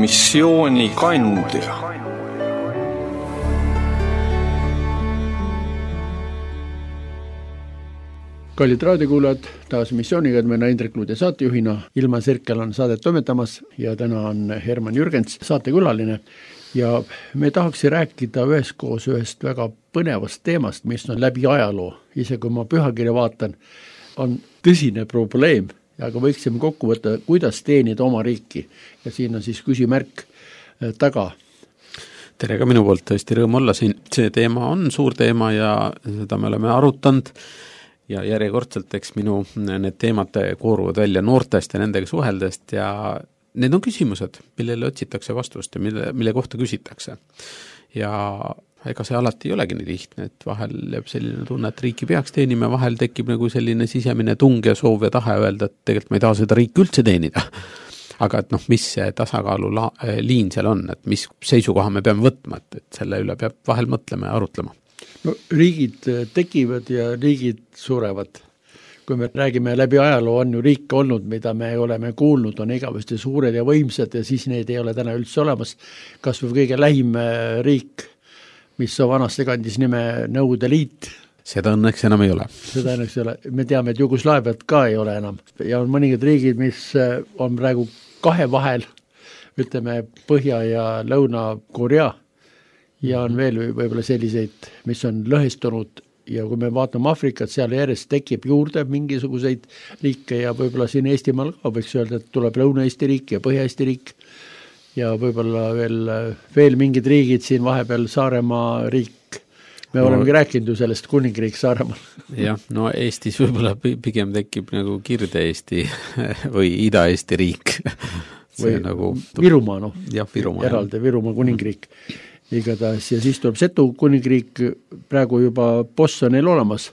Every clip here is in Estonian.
missiooni kandja. Kallid raadiokuulajad, taas missiooniga, et meile Indrek Luud ja saatejuhina. Ilma Sirkel on saadet toimetamas ja täna on Herman Jürgens saatekülaline. Ja me tahaks rääkida üheskoos ühest väga põnevast teemast, mis on läbi ajaloo. Ise kui ma pühakirja vaatan, on tõsine probleem, aga võiksime kokku võtta, kuidas teenida oma riiki. Ja siin on siis küsimärk taga. Tere ka minu poolt, tõesti rõõm olla siin. See teema on suur teema ja seda me oleme arutanud. Ja järjekordselt eks minu need teemad kooruvad välja noortest ja nendega suheldest ja need on küsimused, millele otsitakse vastust ja mille kohta küsitakse. Ja ega see alati ei olegi nii lihtne, et vahel jääb selline tunne, et riiki peaks teenima, vahel tekib nagu selline sisemine tung ja soov ja tahe öelda, et tegelikult ma ei taha seda riiki üldse teenida. Aga et mis see tasakaalu liin seal on, et mis seisukoha me peame võtma, et selle üle peab vahel mõtlema ja arutlema. No, riigid tekivad ja riigid surevad. Kui me räägime läbi ajaloo, on ju riike olnud, mida me oleme kuulnud, on igavesti suured ja võimsad ja siis neid ei ole täna üldse olemas. Kas või kõige lähim riik, mis on vanasti kandis nime Nõukogude Liit. Seda õnneks enam ei ole. Seda õnneks ei ole. Me teame, et Jugoslaaviat ka ei ole enam. Ja on mõningad riigid, mis on praegu kahe vahel, ütleme Põhja- ja Lõuna-Korea. Ja on veel võib-olla selliseid, mis on lõhestunud ja kui me vaatame Afrikat, seal järjest tekib juurde mingisuguseid liike ja võib-olla siin Eestimaal ka võiks öelda, et tuleb Lõuna-Eesti riik ja Põhja-Eesti riik ja võib-olla veel mingid riigid siin vahepeal Saaremaa riik. Me olemegi rääkinud ju sellest kuningriik Saaremaal. Jah, no Eestis võib-olla pigem tekib nagu Kirde-Eesti või Ida-Eesti riik. Või nagu Virumaa, Virumaa, eraldi Virumaa kuningriik. Igatahes ja siis tuleb Setu kuningriik, praegu juba boss on neil olemas.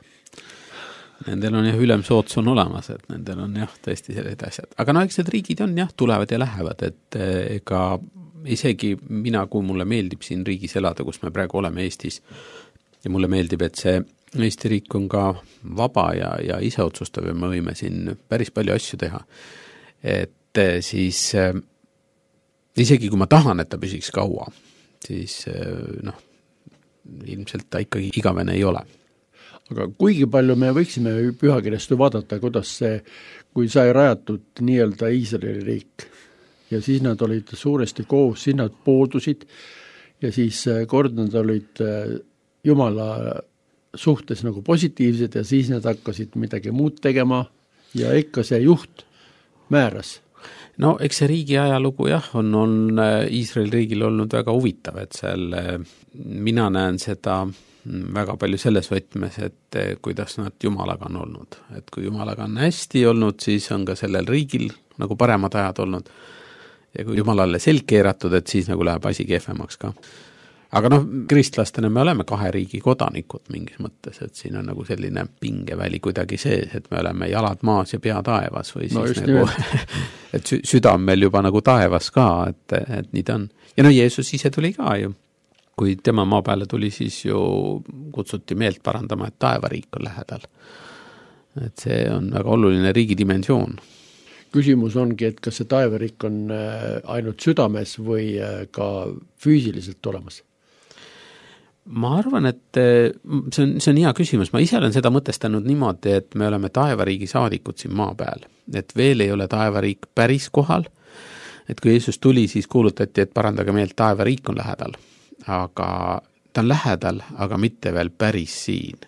Nendel on ülemsoots on olemas, et nendel on tõesti sellised asjad. Aga eks need riigid on tulevad ja lähevad, et ega isegi mina, kui mulle meeldib siin riigis elada, kus me praegu oleme Eestis ja mulle meeldib, et see Eesti riik on ka vaba ja ise otsustav ja me võime siin päris palju asju teha. Et siis isegi kui ma tahan, et ta püsiks kaua, siis ilmselt ta ikkagi igavene ei ole. Aga kuigi palju me võiksime pühakirjast vaadata, kuidas see, kui sai rajatud nii-öelda Iisraeli riik ja siis nad olid suuresti koos, siis nad poodusid ja siis kord nad olid Jumala suhtes nagu positiivsed ja siis nad hakkasid midagi muud tegema ja ikka see juht määras. No eks see riigi ajalugu on Iisraeli riigil olnud väga huvitav, et seal mina näen seda väga palju selles võtmes, et kuidas nad Jumalaga on olnud. Et kui Jumalaga on hästi olnud, siis on ka sellel riigil nagu paremad ajad olnud. Ja kui Jumalale selg keeratud, et siis nagu läheb asi kehvemaks ka. Aga kristlastena me oleme kahe riigi kodanikud mingis mõttes, et siin on nagu selline pingeväli kuidagi sees, et me oleme jalad maas ja pea taevas või siis nagu, et süda on meil juba nagu taevas ka, et nii ta on. Ja Jeesus ise tuli ka ju. Kui tema maa peale tuli, siis ju kutsuti meelt parandama, et taevariik on lähedal. Et see on väga oluline riigi dimensioon. Küsimus ongi, et kas see taevariik on ainult südames või ka füüsiliselt olemas? Ma arvan, et see on hea küsimus. Ma ise olen seda mõtestanud niimoodi, et me oleme taevariigi saadikud siin maa peal. Et veel ei ole taevariik päris kohal. Et kui Jeesus tuli, siis kuulutati, et parandage meelt, taevariik on lähedal. Aga ta on lähedal, aga mitte veel päris siin.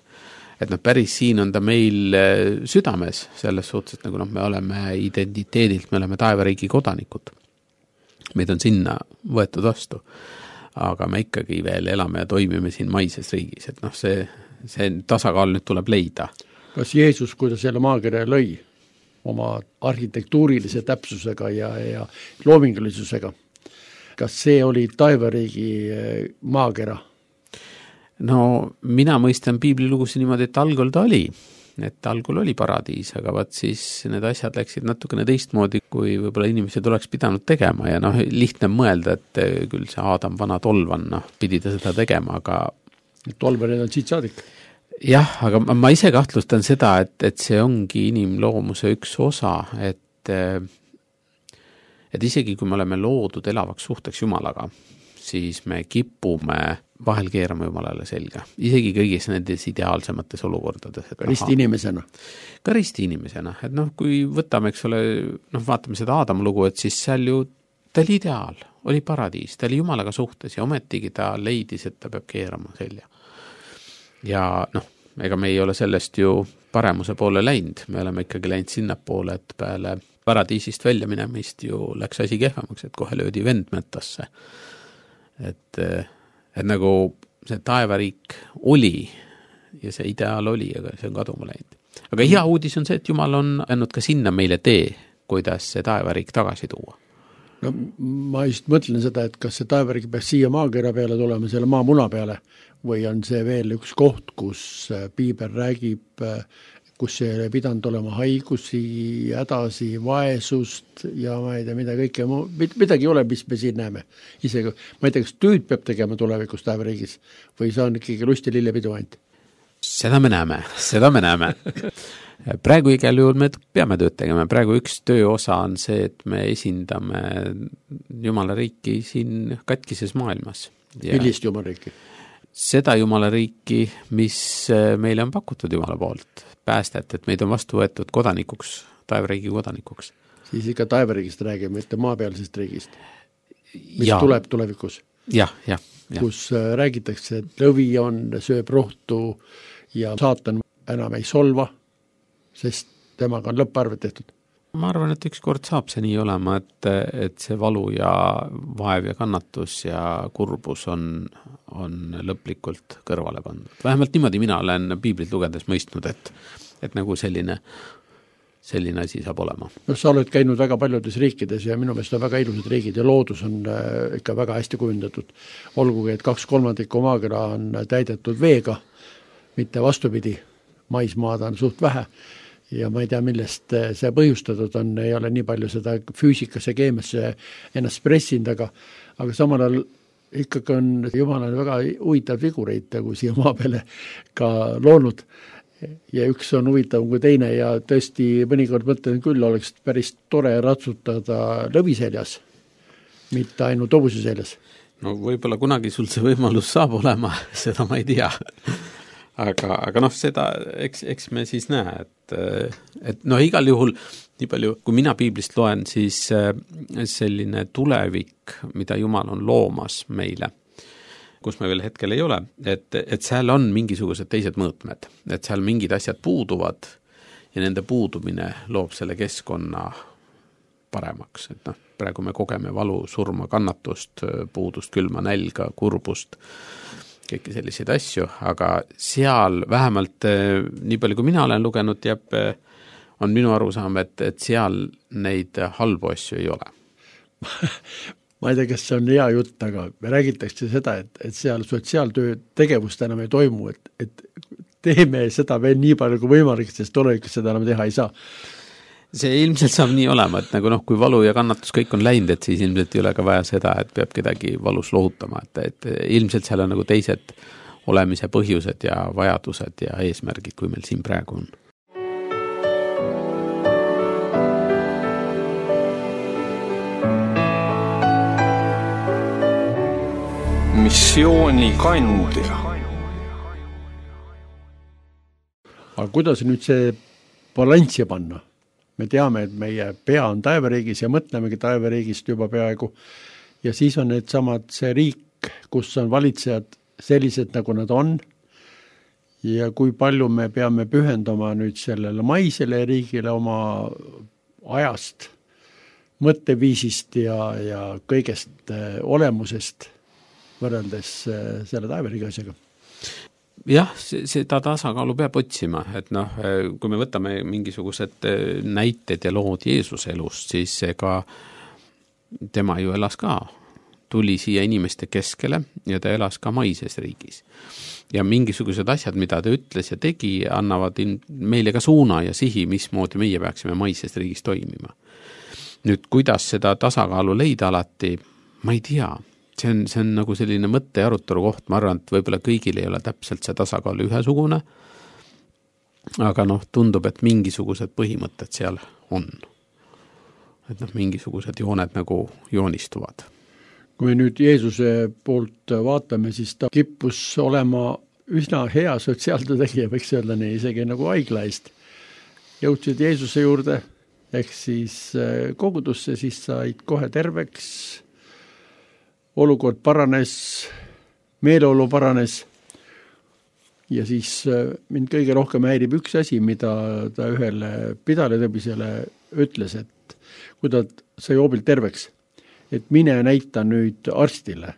Et päris siin on ta meil südames selles suhtes, et nagu me oleme identiteedilt, me oleme taevariigi kodanikud. Meid on sinna võetud vastu. Aga me ikkagi veel elame ja toimime siin maises riigis, et see tasakaal nüüd tuleb leida. Kas Jeesus, kui ta selle maakere lõi oma arhitektuurilise täpsusega ja loomingulisusega, kas see oli taevariigi maakera? No mina mõistan piiblilugusi niimoodi, et algul ta oli. Et algul oli paradiis, aga siis need asjad läksid natukene teistmoodi, kui võib-olla inimesed oleks pidanud tegema ja lihtne mõelda, et küll see Aadam vana tolvan, pidi ta seda tegema, aga tolvanid on siit saadik. Jah, aga ma ise kahtlustan seda, et see ongi inimloomuse üks osa, et et isegi kui me oleme loodud elavaks suhteks Jumalaga, siis me kipume vahel keerama Jumalale selga. Isegi kõigis nendes ideaalsemates olukordades. Ka ristiinimesena. Ka ristiinimesena. Et kui võtame, eks ole, vaatame seda Aadama lugu, et siis seal ju ta oli ideaal, oli paradiis, ta oli Jumalaga suhtes ja ometigi ta leidis, et ta peab keerama selja. Ja ega me ei ole sellest ju paremuse poole läinud, me oleme ikkagi läinud sinna poole, et peale paradiisist välja minemist ju läks asi kehvemaks, et kohe löödi vend metasse. Et nagu see taevariik oli ja see ideaal oli, aga see on kaduma läinud. Aga hea uudis on see, et Jumal on andnud ka sinna meile tee, kuidas see taevariik tagasi tuua. No ma just mõtlen seda, et kas see taevariik peaks siia maakera peale tulema, selle maamuna peale, või on see veel üks koht, kus piibel räägib, kus ei ole pidanud olema haigusi, hädasi, vaesust ja ma ei tea, mida kõike, midagi ei ole, mis me siin näeme. Isegi, ma ei tea, kas tööd peab tegema tulevikus taevariigis või see on ikkagi lust ja lillepidu ainult? Seda me näeme. Praegu igal juhul me peame tööd tegema. Praegu üks tööosa on see, et me esindame Jumala riiki siin katkises maailmas. Millist Jumala riiki? Seda Jumala riiki, mis meile on pakutud Jumala poolt. Päästet, et meid on vastu võetud kodanikuks, taevariigi kodanikuks. Siis ikka taevariigist räägime, mitte maapealsest riigist, mis tuleb tulevikus. Ja. Kus räägitakse, et lõvi on, sööb rohtu ja saatan enam ei solva, sest temaga on lõpparved tehtud. Ma arvan, et üks kord saab see nii olema, et see valu ja vaev ja kannatus ja kurbus on lõplikult kõrvale pandud. Vähemalt niimoodi mina olen piiblit lugedes mõistnud, et nagu selline asi saab olema. Sa oled käinud väga paljudes riikides ja minu meelest on väga ilusad riigid ja loodus on ikka väga hästi kujundatud. Olgugi, et 2/3 maakera on täidetud veega, mitte vastupidi, maismaad on suht vähe. Ja ma ei tea, millest see põhjustatud on, ei ole nii palju seda füüsikasse, keemiasse ennast pressinud, aga samal ajal ikkagi on Jumalal väga huvitav figureid, kui siia maa peale ka loonud. Ja üks on huvitav kui teine ja tõesti mõnikord mõtlen küll, oleks päris tore ratsutada lõvi seljas, mitte ainult hobuse seljas. No võib-olla kunagi sul see võimalus saab olema, seda ma ei tea. Aga seda, eks me siis näe, et igal juhul, nii palju, kui mina piiblist loen, siis selline tulevik, mida Jumal on loomas meile, kus me veel hetkel ei ole, et seal on mingisugused teised mõõtmed, et seal mingid asjad puuduvad ja nende puudumine loob selle keskkonna paremaks, et praegu me kogeme valu, surma, kannatust, puudust, külma, nälga, kurbust, kõiki selliseid asju, aga seal vähemalt nii palju, kui mina olen lugenud, on minu arusaam, et seal neid halbu asju ei ole. Ma ei tea, kas see on hea jutt, aga me räägitakse seda, et seal sotsiaaltöö tegevust enam ei toimu, et teeme seda veel nii palju kui võimalik, sest tulevikus seda enam teha ei saa. See ilmselt saab nii olema, et nagu kui valu ja kannatus kõik on läinud, et siis ilmselt ei ole ka vaja seda, et peab kedagi valus lohutama, et ilmselt seal on nagu teised olemise põhjused ja vajadused ja eesmärgid, kui meil siin praegu on. Missiooni kandja. Aga kuidas nüüd see balanssi panna? Me teame, et meie pea on taevariigis ja mõtlemegi taevariigist juba peaaegu. Ja siis on need samad see riik, kus on valitsejad sellised, nagu nad on. Ja kui palju me peame pühendama nüüd sellele maisele riigile oma ajast, mõtteviisist ja kõigest olemusest võrreldes selle taevariigi asjaga. Jah, seda tasakaalu peab otsima, et kui me võtame mingisugused näited ja lood Jeesuse elust, siis ega tema ju elas ka, tuli siia inimeste keskele ja ta elas ka maises riigis. Ja mingisugused asjad, mida ta ütles ja tegi, annavad meile ka suuna ja sihi, mismoodi meie peaksime maises riigis toimima. Nüüd, kuidas seda tasakaalu leida alati, ma ei tea. See on nagu selline mõtte ja arutelu koht, ma arvan, et võib-olla kõigil ei ole täpselt see tasakaal ühesugune, aga tundub, et mingisugused põhimõtted seal on. et mingisugused jooned nagu joonistuvad. Kui nüüd Jeesuse poolt vaatame, siis ta kippus olema üsna hea sotsiaaltöö tegija, võiks öelda nii, isegi nagu haigla eest. Jõudsid Jeesuse juurde, ehk siis kogudusse, siis said kohe terveks, olukord paranes, meeleolu paranes ja siis mind kõige rohkem häirib üks asi, mida ta ühele pidalitõbisele ütles, et kui ta sai hoobilt terveks, et mine näita nüüd arstile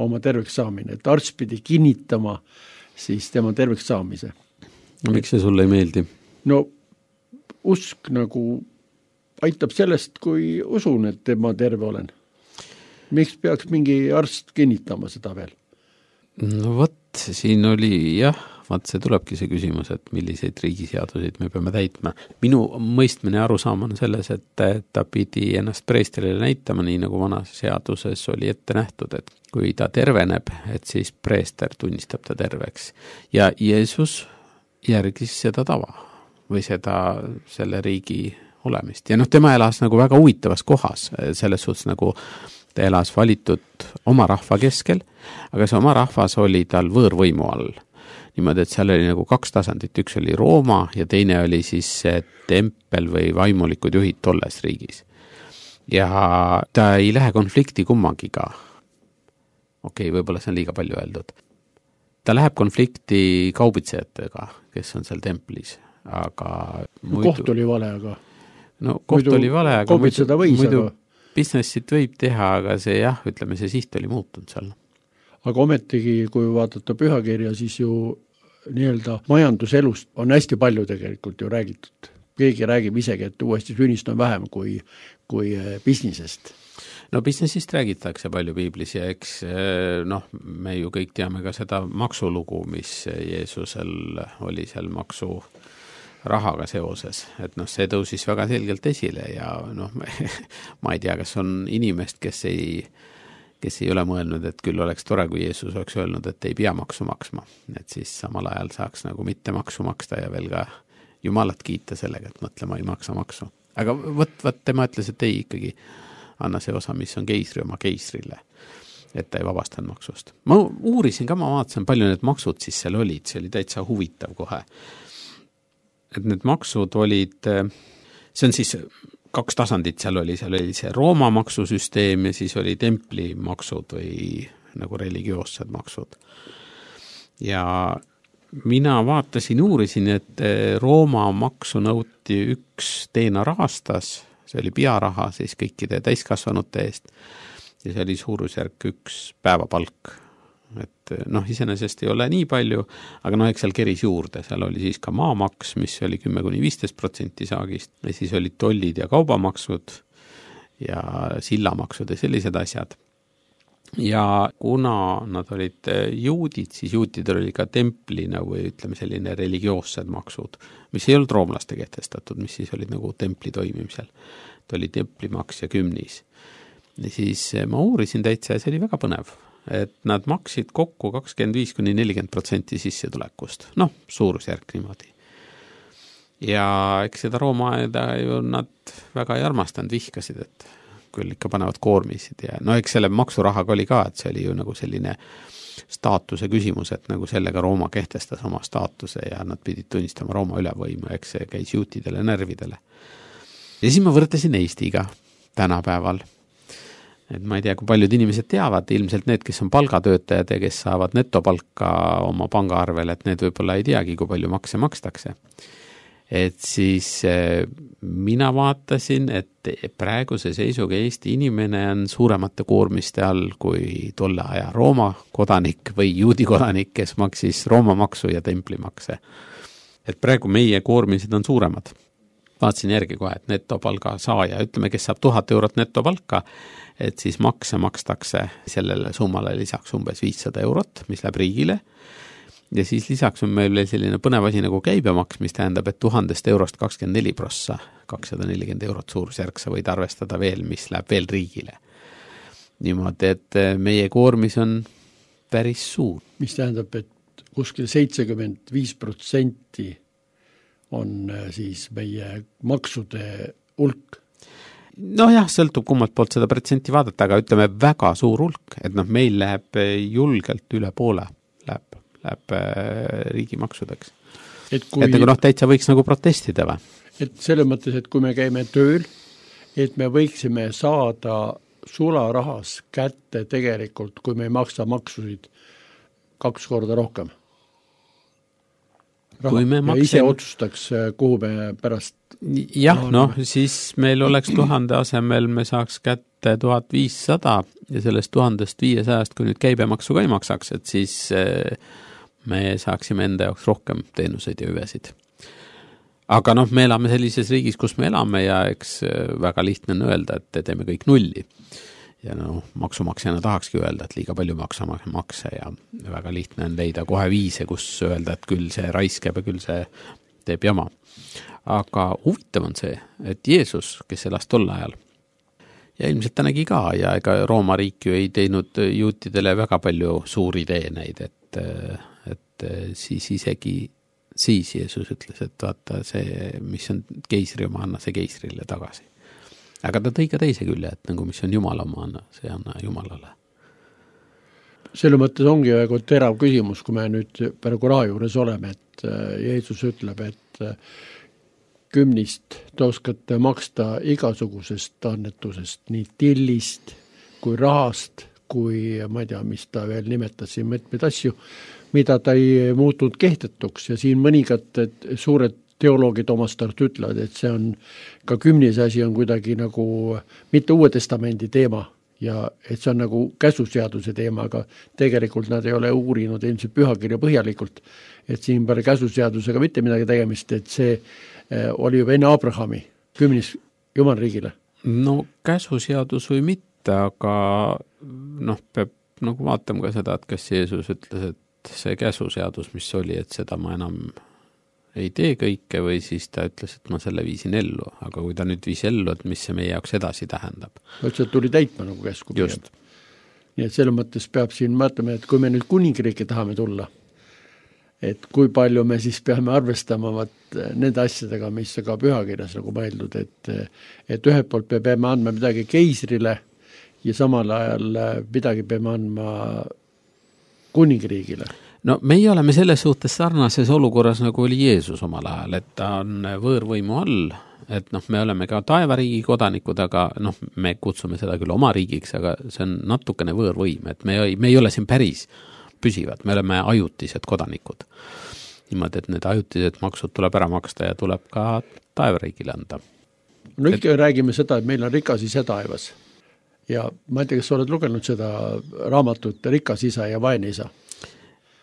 oma terveks saamine, et arst pidi kinnitama siis tema terveks saamise. No miks see sulle ei meeldi? No usk nagu aitab sellest, kui usun, et ma terve olen. Miks peaks mingi arst kinnitama seda veel? No vot, siin oli see tulebki see küsimus, et milliseid riigiseaduseid me peame täitma. Minu mõistmine arusaam on selles, et ta pidi ennast preestrile näitama, nii nagu vanas seaduses oli ette nähtud, et kui ta terveneb, et siis preester tunnistab ta terveks. Ja Jeesus järgis seda tava või selle riigi olemist. Ja tema elas nagu väga huvitavas kohas, selles suhtes nagu ta elas valitud oma rahva keskel, aga see oma rahvas oli tal võõrvõimu all. Niimoodi, et seal oli nagu 2 tasandit, üks oli Rooma ja teine oli siis tempel või vaimulikud juhid tolles riigis. Ja ta ei lähe konflikti kummagiga. Okei, võib-olla see on liiga palju öeldud. Ta läheb konflikti kaubitsejatega, kes on seal templis, aga koht oli vale, aga koht oli vale, aga muidu businessit võib teha, aga see ütleme, see siht oli muutunud seal. Aga ometigi, kui vaadata pühakirja, siis ju nii-öelda majanduselust on hästi palju tegelikult ju räägitud. Keegi räägib isegi, et uuesti sünnist on vähem kui businessest. No businessist räägitakse palju piiblis ja eks me ju kõik teame ka seda maksulugu, mis Jeesusel oli seal maksurahaga seoses, et see tõusis väga selgelt esile ja ma ei tea, kas on inimest, kes ei ole mõelnud, et küll oleks tore, kui Jeesus oleks öelnud, et ei pea maksu maksma, et siis samal ajal saaks nagu mitte maksu maksta ja veel ka Jumalat kiita sellega, et mõtlema ei maksa maksu. Aga võt tema ütles, et ei ikkagi anna see osa, mis on keisri oma keisrile, et ta ei vabastanud maksust. Ma uurisin ka, ma vaatasin, palju need maksud siis seal olid, see oli täitsa huvitav kohe. Et need maksud olid, see on siis 2 tasandit seal oli see Rooma maksusüsteem ja siis oli templi maksud või nagu religioossed maksud. Ja mina vaatasin, uurisin, et Rooma maksu nõuti 1 denar aastas, see oli pearaha siis kõikide täiskasvanute eest ja see oli suurusjärk 1 päevapalk. Et iseenesest ei ole nii palju, aga eks seal keris juurde, seal oli siis ka maamaks, mis oli 10–15% saagist ja siis olid tollid ja kaubamaksud ja sillamaksud ja sellised asjad. Ja kuna nad olid juudid, siis juutidel oli ka templina või ütleme selline religioossed maksud, mis ei olnud roomlaste kehtestatud, mis siis olid nagu templi toimimisel. Ta oli templimaks ja kümnis. Ja siis ma uurisin täitsa ja see oli väga põnev. Et nad maksid kokku 25–40% sissetulekust. Suurusjärk niimoodi. Ja eks seda Rooma aeda ju nad väga ei armastanud, vihkasid, et küll ikka panevad koormisid ja eks selle maksurahaga oli ka, et see oli ju nagu selline staatuse küsimus, et nagu sellega Rooma kehtestas oma staatuse ja nad pidid tunnistama Rooma ülevõimu, eks see käis juutidele närvidele. Ja siis ma võrdlesin Eestiga tänapäeval. Et ma ei tea, kui paljud inimesed teavad, ilmselt need, kes on palgatöötajad ja kes saavad netopalka oma pangaarvel, et need võib-olla ei teagi, kui palju makse makstakse. Et siis mina vaatasin, et praeguse seisuga Eesti inimene on suuremate koormiste all kui tolle aja Rooma kodanik või juudi kodanik, kes maksis Rooma maksu ja templimakse. Et praegu meie koormised on suuremad. Vaatasin järgi kohe, et netopalga saaja, ütleme, kes saab 1000 eurot netopalka, et siis makse makstakse sellele summale lisaks umbes 500 eurot, mis läheb riigile. Ja siis lisaks on meil selline põnev asi nagu käibemaks, mis tähendab, et 1000 eurost 24%, 240 eurot suurusjärk sa võid arvestada veel, mis läheb veel riigile. Niimoodi, et meie koormis on päris suur. Mis tähendab, et kuskil 75% on siis meie maksude hulk. Nojah, sõltub kummalt poolt seda protsenti vaadata, aga ütleme väga suur hulk, et noh, meil läheb julgelt üle poole, läheb riigimaksudeks. Et nagu noh, täitsa võiks nagu protestida või? Et selles mõttes, et kui me käime tööl, et me võiksime saada sularahas kätte tegelikult, kui me ei maksa maksusid 2 korda rohkem. Raha. Ja ise otsustaks, kuhu me pärast... Jah, noh, siis meil oleks 1000 asemel, me saaks kätte 1500 ja sellest 1500, kui nüüd käibemaksu ka ei maksaks, et siis me saaksime enda jaoks rohkem teenuseid ja hüvesid. Aga noh, me elame sellises riigis, kus me elame ja eks väga lihtne on öelda, et teeme kõik nulli. Ja no, maksumaksjana tahakski öelda, et liiga palju makse ja väga lihtne on leida kohe viise, kus öelda, et küll see raiskeb ja küll see teeb jama. Aga huvitav on see, et Jeesus, kes elas tol ajal, ja ilmselt ta nägi ka, ja ega Rooma riik ju ei teinud juutidele väga palju suuri teeneid, et siis isegi siis Jeesus ütles, et vaata see, mis on keisri oma, anna see keisrile tagasi. Aga ta tõi ka teise külje, et nagu mis on Jumala oma, anna, see anna Jumalale. Selle mõttes ongi väga terav küsimus, kui me nüüd praegu raha juures oleme, et Jeesus ütleb, et 10 te oskate maksta igasugusest annetusest, nii tillist kui rahast, kui ma ei tea, mis ta veel nimetas siin mitmeid asju, mida ta ei muutunud kehtetuks ja siin mõningad suured teoloogid omastart ütlevad, et see on ka 10. asi on kuidagi nagu mitte Uue Testamendi teema ja et see on nagu käsuseaduse teema, aga tegelikult nad ei ole uurinud ilmselt pühakirja põhjalikult, et siin pole käsuseadusega mitte midagi tegemist, et see oli juba enne Abrahami 10. Jumala riigile. No käsuseadus või mitte, aga noh, peab nagu vaatama ka seda, et kas Jeesus ütles, et see käsuseadus, mis oli, et seda ma enam ei tee kõike või siis ta ütles, et ma selle viisin ellu, aga kui ta nüüd viis ellu, et mis see meie jaoks edasi tähendab. Üldse tuli täitma nagu käsku. Just. Nii et selle mõttes peab siin mõtlema, et kui me nüüd kuningriiki tahame tulla, et kui palju me siis peame arvestama nende asjadega, mis ka pühakirjas nagu mõeldud, et ühelt poolt me peame andma midagi keisrile ja samal ajal midagi peame andma kuningriigile. No meie oleme selles suhtes sarnases olukorras, nagu oli Jeesus omal ajal, et ta on võõrvõimu all, et noh, me oleme ka taevariigi kodanikud, aga noh, me kutsume seda küll oma riigiks, aga see on natukene võõrvõim, et me ei ole siin päris püsivad, me oleme ajutised kodanikud. Niimoodi, et need ajutised maksud tuleb ära maksta ja tuleb ka taevariigile anda. No ikka räägime seda, et meil on rikas isa taevas. Ja ma ei tea, kas oled lugenud seda raamatut Rikas isa ja vaene isa?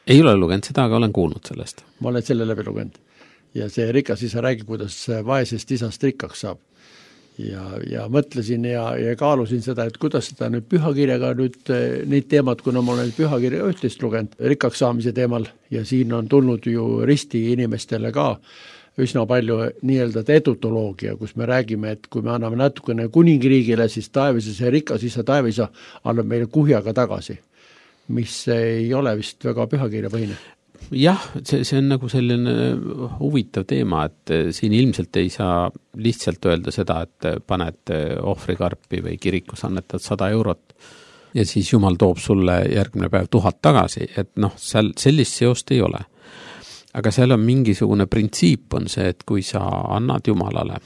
Ei ole lugenud seda, aga olen kuulnud sellest. Ma olen selle läbi lugenud. Ja see rikas isa räägib, kuidas vaesest isast rikkaks saab. Ja mõtlesin ja kaalusin seda, et kuidas seda nüüd pühakirjaga nüüd neid teemad, kuna ma olen pühakirja ühtest lugenud rikkaks saamise teemal ja siin on tulnud ju risti inimestele ka üsna palju nii-öelda edutoloogia, kus me räägime, et kui me anname natukene kuningriigile, siis taevise see rikas isa taevisa annab meile kuhjaga tagasi, mis ei ole vist väga pühakirja põhine. Jah, see on nagu selline huvitav teema, et siin ilmselt ei saa lihtsalt öelda seda, et paned ohvrikarpi või kirikus annetad 100 eurot ja siis Jumal toob sulle järgmine päev 1000 tagasi, et noh, seal sellist seost ei ole. Aga seal on mingisugune printsiip on see, et kui sa annad Jumalale,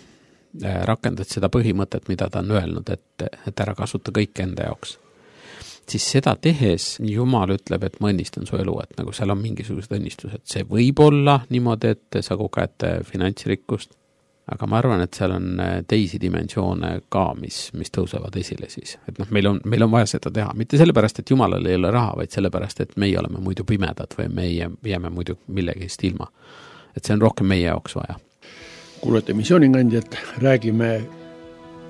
rakendad seda põhimõtet, mida ta on öelnud, et ära kasuta kõik enda jaoks, siis seda tehes Jumal ütleb, et ma õnnistan su elu, et nagu seal on mingisugused õnnistused. See võib olla niimoodi, et sa koged finantsrikkust, aga ma arvan, et seal on teisi dimensioone ka, mis tõusevad esile siis. Et noh, meil on vaja seda teha. Mitte sellepärast, et Jumalal ei ole raha, vaid sellepärast, et meie oleme muidu pimedad või me jääme muidu millegist ilma. Et see on rohkem meie jaoks vaja. Kuulete missioonikandjat, räägime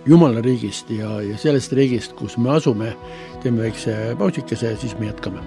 Jumala riigist ja sellest riigist, kus me asume, teeme väikse pausikese ja siis me jätkame.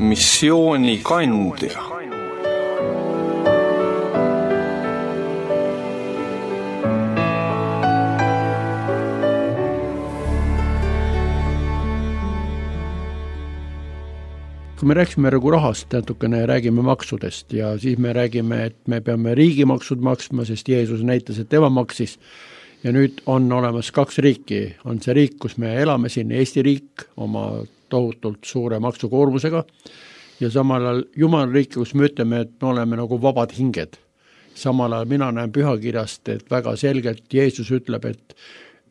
missioonikandja. Kui me rääksime nagu rahast, natukene räägime maksudest ja siis me räägime, et me peame riigimaksud maksma, sest Jeesus näitas, et tema maksis. Ja nüüd on olemas 2 riiki. On see riik, kus me elame siin, Eesti riik oma tohutult suure maksukoormusega ja samal ajal Jumala riik, kus me ütleme, et me oleme nagu vabad hinged. Samal ajal mina näen pühakirjast, et väga selgelt Jeesus ütleb, et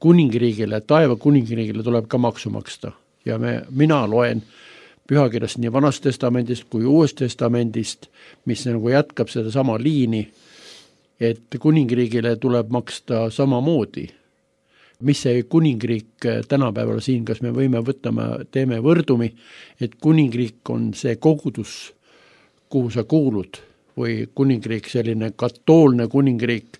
kuningriigile, taeva kuningriigile tuleb ka maksu maksta ja mina loen pühakirjast nii Vanast testamendist kui Uuest testamendist, mis nagu jätkab seda sama liini, et kuningriigile tuleb maksta samamoodi. Mis see kuningriik tänapäeval siin, kas me võime teeme võrdumi, et kuningriik on see kogudus, kuhu sa kuulud, või kuningriik selline katoolne kuningriik,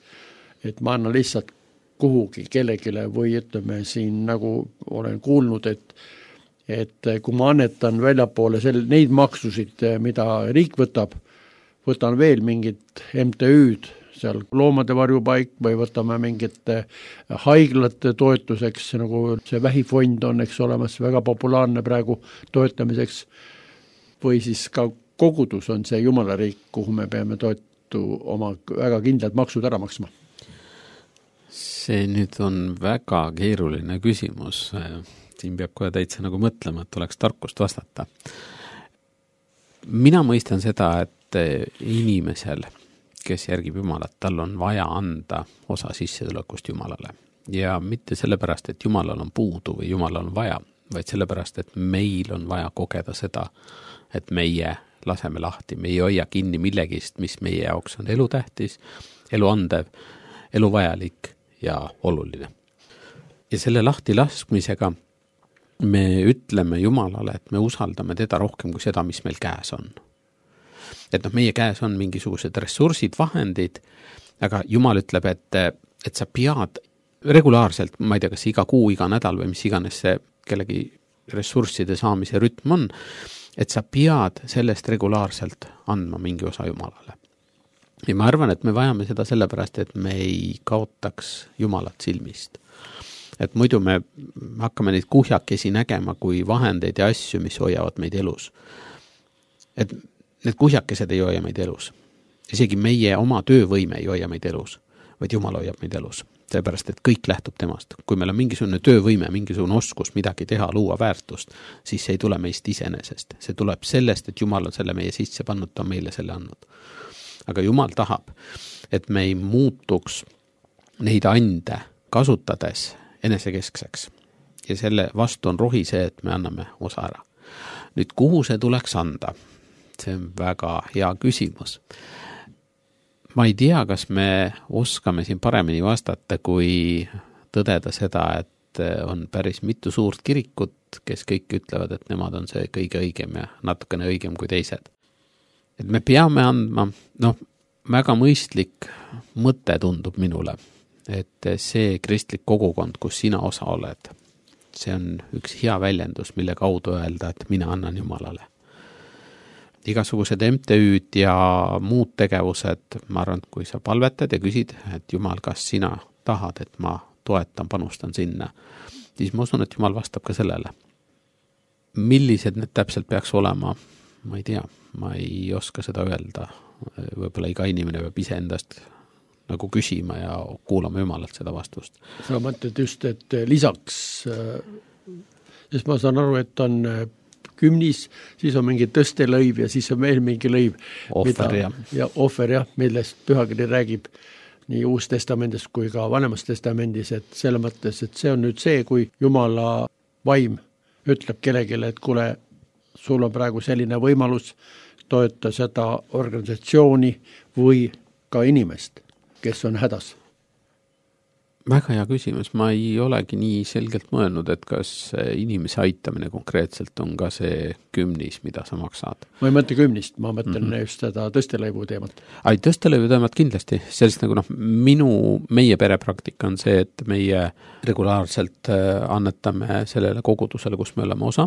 et ma annan lihtsalt kuhugi kellegile või ütleme siin nagu olen kuulnud, et kui ma annetan väljapoole neid maksusid, mida riik võtan veel mingit MTÜ-d, seal loomade varjupaik või võtame mingite haiglate toetuseks, nagu see vähifond on, eks olemas, väga populaarne praegu toetamiseks, või siis ka kogudus on see Jumala riik, kuhu me peame oma väga kindlad maksud ära maksma. See nüüd on väga keeruline küsimus. Siin peab kohe täitsa nagu mõtlema, et oleks tarkust vastata. Mina mõistan seda, et inimesel, kes järgib Jumalat, tal on vaja anda osa sissetulekust Jumalale. Ja mitte sellepärast, et Jumalal on puudu või Jumalal on vaja, vaid sellepärast, et meil on vaja kogeda seda, et meie laseme lahti, me ei hoia kinni millegist, mis meie jaoks on elutähtis, eluandev, eluvajalik ja oluline. Ja selle lahti laskmisega me ütleme Jumalale, et me usaldame teda rohkem kui seda, mis meil käes on. Et meie käes on mingisugused ressursid, vahendid, aga Jumal ütleb, et sa pead regulaarselt, ma ei tea, kas iga kuu, iga nädal või mis iganes see kellegi ressursside saamise rütm on, et sa pead sellest regulaarselt andma mingi osa Jumalale. Ja ma arvan, et me vajame seda sellepärast, et me ei kaotaks Jumalat silmist. Et muidu me hakkame neid kuhjakesi nägema kui vahendeid ja asju, mis hoiavad meid elus. Et need kuhjakesed ei hoia meid elus. Isegi meie oma töövõime ei hoia meid elus, vaid Jumal hoiab meid elus. Sellepärast, et kõik lähtub temast. Kui meil on mingisugune töövõime, mingisugune oskus midagi teha, luua väärtust, siis see ei tule meist iseenesest. See tuleb sellest, et Jumal on selle meie sisse pannud, ta on meile selle andnud. Aga Jumal tahab, et me ei muutuks neid ande kasutades enesekeskseks. Ja selle vastu on rohi see, et me anname osa ära. Nüüd, kuhu see tuleks anda? See on väga hea küsimus. Ma ei tea, kas me oskame siin paremini vastata, kui tõdeda seda, et on päris mitu suurt kirikut, kes kõik ütlevad, et nemad on see kõige õigem ja natukene õigem kui teised. Et me peame andma, väga mõistlik mõte tundub minule, et see kristlik kogukond, kus sina osa oled, see on üks hea väljendus, mille kaudu öelda, et mina annan Jumalale. Igasugused MTÜ-d ja muud tegevused, ma arvan, kui sa palvetad ja küsid, et Jumal, kas sina tahad, et ma toetan, panustan sinna, siis ma usun, et Jumal vastab ka sellele. Millised need täpselt peaks olema, ma ei tea, ma ei oska seda öelda. Võib-olla iga inimene peab ise endast nagu küsima ja kuulama Jumalalt seda vastust. Sa mõtled just, et lisaks, sest ma saan aru, et on kümnis, siis on mingi tõstelõiv ja siis on veel mingi lõiv. Ohver, millest pühakiri räägib nii Uus testamendis kui ka Vanemas testamendis, et selle mõttes, et see on nüüd see, kui Jumala vaim ütleb kellegile, et kuule, sul on praegu selline võimalus toeta seda organisatsiooni või ka inimest, kes on hädas. Väga hea küsimus, ma ei olegi nii selgelt mõelnud, et kas inimese aitamine konkreetselt on ka see kümnis, mida sa maksad. Ma ei mõtle kümnist, ma mõtlen just seda tõstelõivu teemat. Tõstelõivu teemat kindlasti, sellist nagu meie perepraktika on see, et meie regulaarselt annetame sellele kogudusele, kus me oleme osa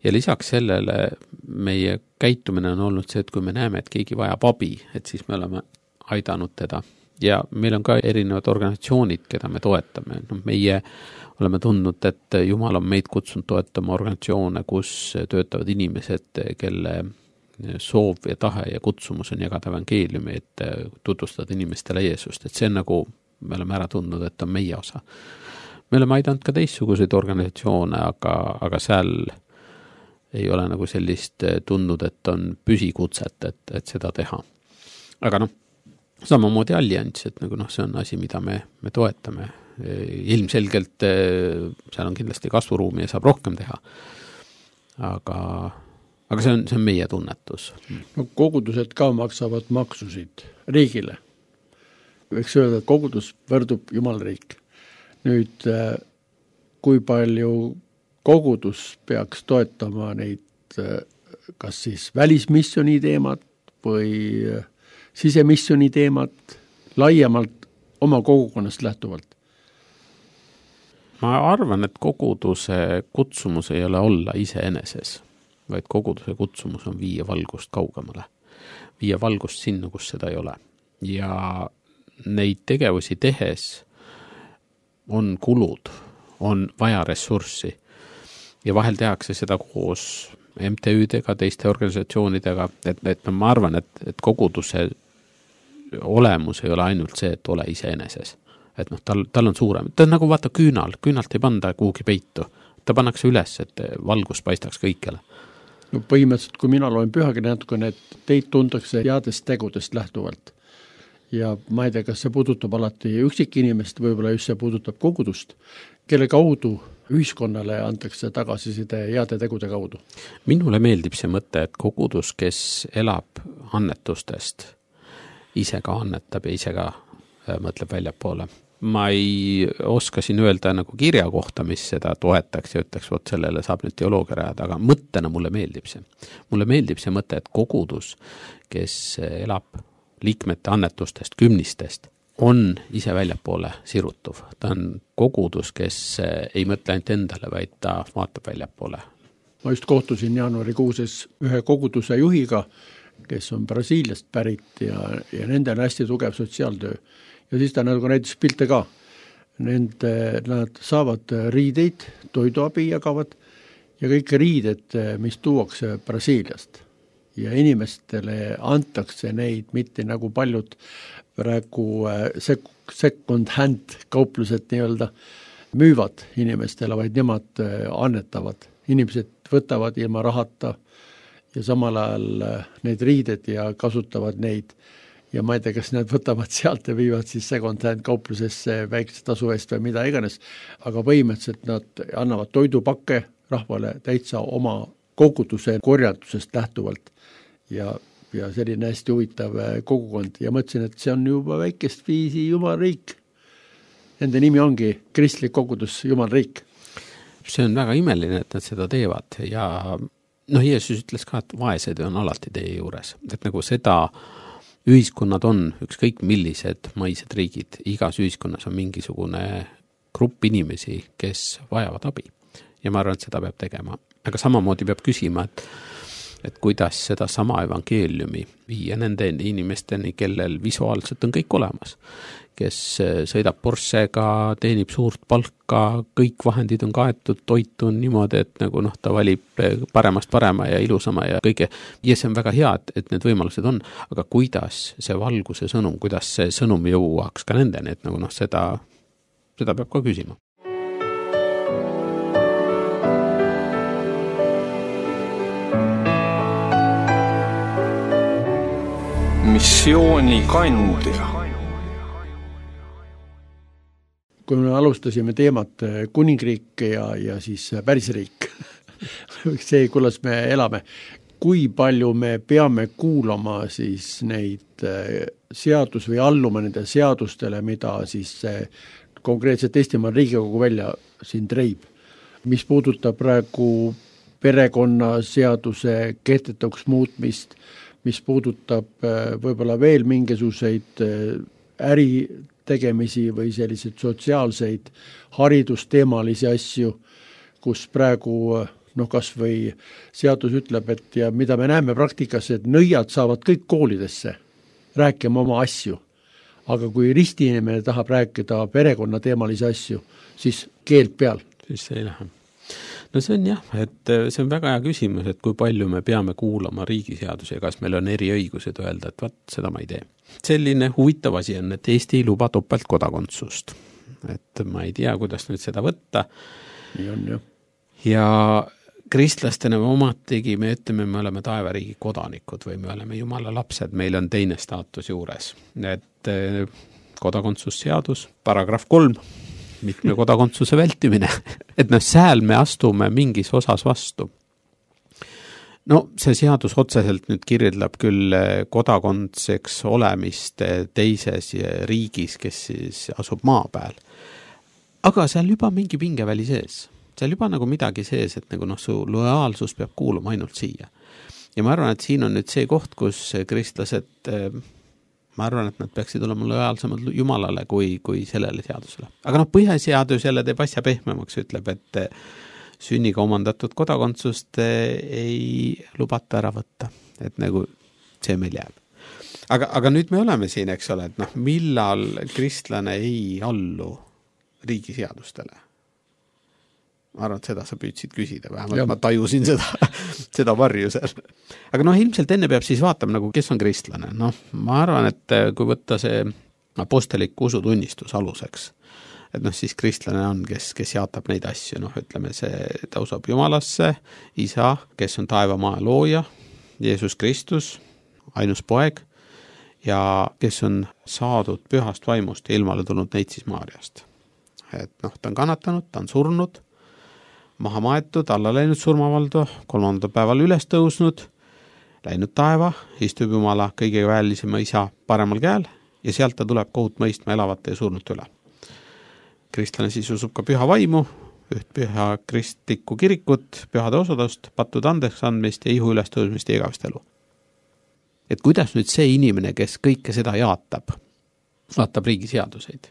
ja lisaks sellele meie käitumine on olnud see, et kui me näeme, et keegi vajab abi, et siis me oleme aidanud teda. Ja meil on ka erinevad organisatsioonid, keda me toetame. Meie oleme tundnud, et Jumal on meid kutsunud toetama organisatsioone, kus töötavad inimesed, kelle soov ja tahe ja kutsumus on jagada evangeeliumi, et tutvustada inimestele Jeesust. Et see on nagu, me oleme ära tundnud, et on meie osa. Me oleme aidanud ka teistsuguseid organisatsioone, aga seal ei ole nagu sellist tundnud, et on püsikutset, et seda teha. Aga samamoodi allianss, et nagu see on asi, mida me toetame. Ilmselgelt seal on kindlasti kasvuruumi ja saab rohkem teha. Aga see on meie tunnetus. Kogudused ka maksavad maksusid riigile. Võiks öelda, et kogudus võrdub Jumalriik. Nüüd, kui palju kogudus peaks toetama neid kas siis välismissiooni teemat või sisemissiooni teemat laiemalt oma kogukonnast lähtuvalt? Ma arvan, et koguduse kutsumus ei ole olla iseeneses, vaid koguduse kutsumus on viia valgust kaugemale. Viia valgust sinna, kus seda ei ole. Ja neid tegevusi tehes on kulud, on vaja ressurssi ja vahel tehakse seda koos MTÜ-dega, teiste organisatsioonidega, et ma arvan, et koguduse olemus ei ole ainult see, et ole iseeneses. Et tal on suurem. Ta on nagu vaata küünalt ei panda kuhugi peitu. Ta pannakse üles, et valgus paistaks kõikjale. Põhimõtteliselt, kui mina loen pühakirja natukene, et teid tuntakse headest tegudest lähtuvalt. Ja ma ei tea, kas see puudutab alati üksikinimest, võib-olla just see puudutab kogudust, kelle kaudu ühiskonnale antakse tagasiside heade tegude kaudu. Minule meeldib see mõte, et kogudus, kes elab annetustest, ise ka annetab ja ise ka mõtleb väljapoole. Ma ei oska siin öelda nagu kirja kohta, mis seda toetaks ja ütleks, vot sellele saab nüüd teoloogia rajada, aga mõttena mulle meeldib see. Mulle meeldib see mõte, et kogudus, kes elab liikmete annetustest, kümnistest, on ise väljapoole sirutuv. Ta on kogudus, kes ei mõtle ainult endale, vaid ta vaatab väljapoole. Ma just kohtusin jaanuarikuuses ühe koguduse juhiga, kes on Brasiiliast pärit ja nende on hästi tugev sotsiaaltöö. Ja siis ta nagu näitas pilte ka. Nad saavad riideid, toiduabi jagavad ja kõik riided, mis tuuakse Brasiiliast. Ja inimestele antakse neid mitte nagu paljud praegu second hand kauplused nii-öelda müüvad inimestele, vaid nemad annetavad. Inimesed võtavad ilma rahata ja samal ajal need riided ja kasutavad neid. Ja ma ei tea, kas nad võtavad sealt ja viivad siis second hand kauplusesse väikse tasu eest või mida iganes, aga põhimõtteliselt nad annavad toidupakke rahvale täitsa oma koguduse korjandusest lähtuvalt ja selline hästi huvitav kogukond ja mõtlesin, et see on juba väikest viisi Jumalriik. Nende nimi ongi kristlik kogudus Jumalriik. See on väga imeline, et nad seda teevad ja Jeesus ütles ka, et vaesed on alati teie juures, et nagu seda ühiskonnad on ükskõik millised maised riigid, igas ühiskonnas on mingisugune grupp inimesi, kes vajavad abi ja ma arvan, et seda peab tegema, aga samamoodi peab küsima, et kuidas seda sama evangeeliumi viia nende inimesteni, kellel visuaalselt on kõik olemas, kes sõidab Porschega, teenib suurt palka, kõik vahendid on kaetud, toit on niimoodi, et nagu ta valib paremast parema ja ilusama ja kõige. Ja see on väga hea, et need võimalused on, aga kuidas see valguse sõnum, kuidas see sõnum jõuaks ka nendeni, et nagu seda peab ka küsima. Missiooni kandja. Kui me alustasime teemat kuningriik ja siis pärisriik, see, kuidas me elame, kui palju me peame kuulama siis neid seadus või alluma nende seadustele, mida siis konkreetselt Eestimaa Riigikogu välja siin treib. Mis puudutab praegu perekonnaseaduse kehtetuks muutmist, mis puudutab võib-olla veel mingisuguseid äritegemisi või selliseid sotsiaalseid haridusteemalisi asju, kus praegu noh, kas või seadus ütleb, et ja mida me näeme praktikas, et nõiad saavad kõik koolidesse rääkima oma asju, aga kui ristiinimene tahab rääkida perekonnateemalisi asju, siis keeld peal. Siis see ei lähe. No see on jah, et see on väga hea küsimus, et kui palju me peame kuulama riigiseadusi ja kas meil on eriõigused öelda, et vaat seda ma ei tee. Selline huvitav asi on, et Eesti ei luba topeltkodakondsust. Et ma ei tea, kuidas nüüd seda võtta. Nii on, jah. Ja kristlastena omatigi me ütleme, me oleme taevariigi kodanikud või me oleme Jumala lapsed, meil on teine staatus juures. Et kodakondsusseadus, paragrahv 3, mitme kodakondsuse vältimine, et sääl me astume mingis osas vastu. No see seadus otseselt nüüd kirjeldab küll kodakondseks olemist teises riigis, kes siis asub maa peal. Aga seal juba mingi pingeväli sees. Seal juba nagu midagi sees, et nagu su lojaalsus peab kuuluma ainult siia. Ja ma arvan, et siin on nüüd see koht, kus kristlased ma arvan, et nad peaksid olema lojaalsemad Jumalale kui sellele seadusele. Aga põhiseadus jälle teeb asja pehmemaks, ütleb, et sünniga omandatud kodakondsust ei lubata ära võtta. Et nagu see meil jääb. Aga nüüd me oleme siin, eks ole, et millal kristlane ei allu riigiseadustele? Ma arvan, et seda sa püüdsid küsida, vähemalt ma tajusin seda varju seal. Aga ilmselt enne peab siis vaatama, kes on kristlane. Ma arvan, et kui võtta see apostelik usutunnistus aluseks, et siis kristlane on, kes jaatab neid asju, ütleme ta usub Jumalasse, isa, kes on taevamaa looja, Jeesus Kristus, ainus poeg, ja kes on saadud pühast vaimust ja ilmale tulnud neitsis Maarjast. Et ta on kannatanud, ta on surnud, maha maetud, alla läinud surmavaldu, 3. päeval üles tõusnud, läinud taeva, istub Jumala kõige väelisema isa paremal käel ja sealt ta tuleb kohut mõistma elavate ja surnute üle. Kristlane siis usub ka püha vaimu, üht püha kristlikku kirikut, pühade osadust, pattude andeks andmist ja ihu üles tõusmist ja igavest elu. Et kuidas nüüd see inimene, kes kõike seda jaatab riigiseaduseid?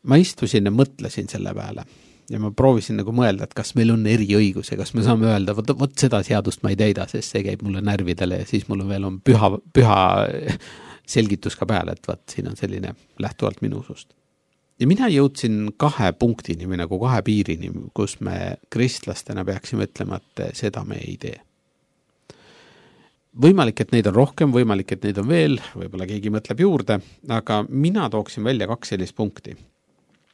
Ma istusin ja mõtlesin selle peale. Ja ma proovisin mõelda, et kas meil on eriõigus ja kas me saame öelda, võt seda seadust ma ei täida, sest see käib mulle närvidele ja siis mul on püha selgitus ka peale, et siin on selline lähtuvalt minu usust. Ja mina jõudsin 2 punktini või 2 piirini, kus me kristlastena peaksime ütlema, et seda me ei tee. Võimalik, et neid on rohkem, võimalik, et neid on veel, võib-olla keegi mõtleb juurde, aga mina tooksin välja 2 sellist punkti.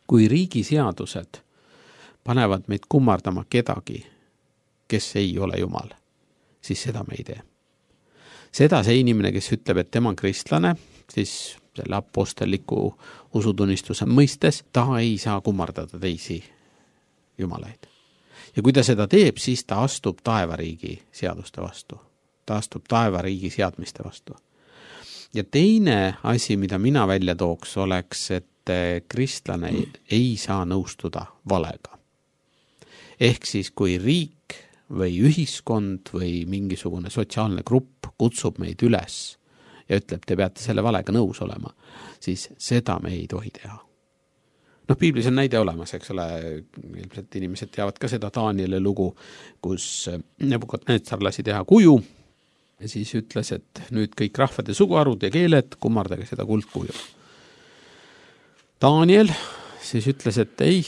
Kui riigiseadused panevad meid kummardama kedagi, kes ei ole Jumal, siis seda me ei tee. Seda see inimene, kes ütleb, et tema on kristlane, siis selle aposteliku usutunnistuse mõistes, ta ei saa kummardada teisi jumalaid. Ja kui ta seda teeb, siis ta astub taevariigi seaduste vastu. Ta astub taevariigi seadmiste vastu. Ja teine asi, mida mina välja tooks, oleks, et kristlane ei saa nõustuda valega. Ehk siis, kui riik või ühiskond või mingisugune sotsiaalne grupp kutsub meid üles ja ütleb, te peate selle valega nõus olema, siis seda me ei tohi teha. Piiblis on näide olemas, eks ole, ilmselt inimesed teavad ka seda Danieli lugu, kus Nebukadnetsar lasi teha kuju ja siis ütles, et nüüd kõik rahvad ja suguharud ja keeled, kummardage seda kuldkuju. Daniel siis ütles, et ei,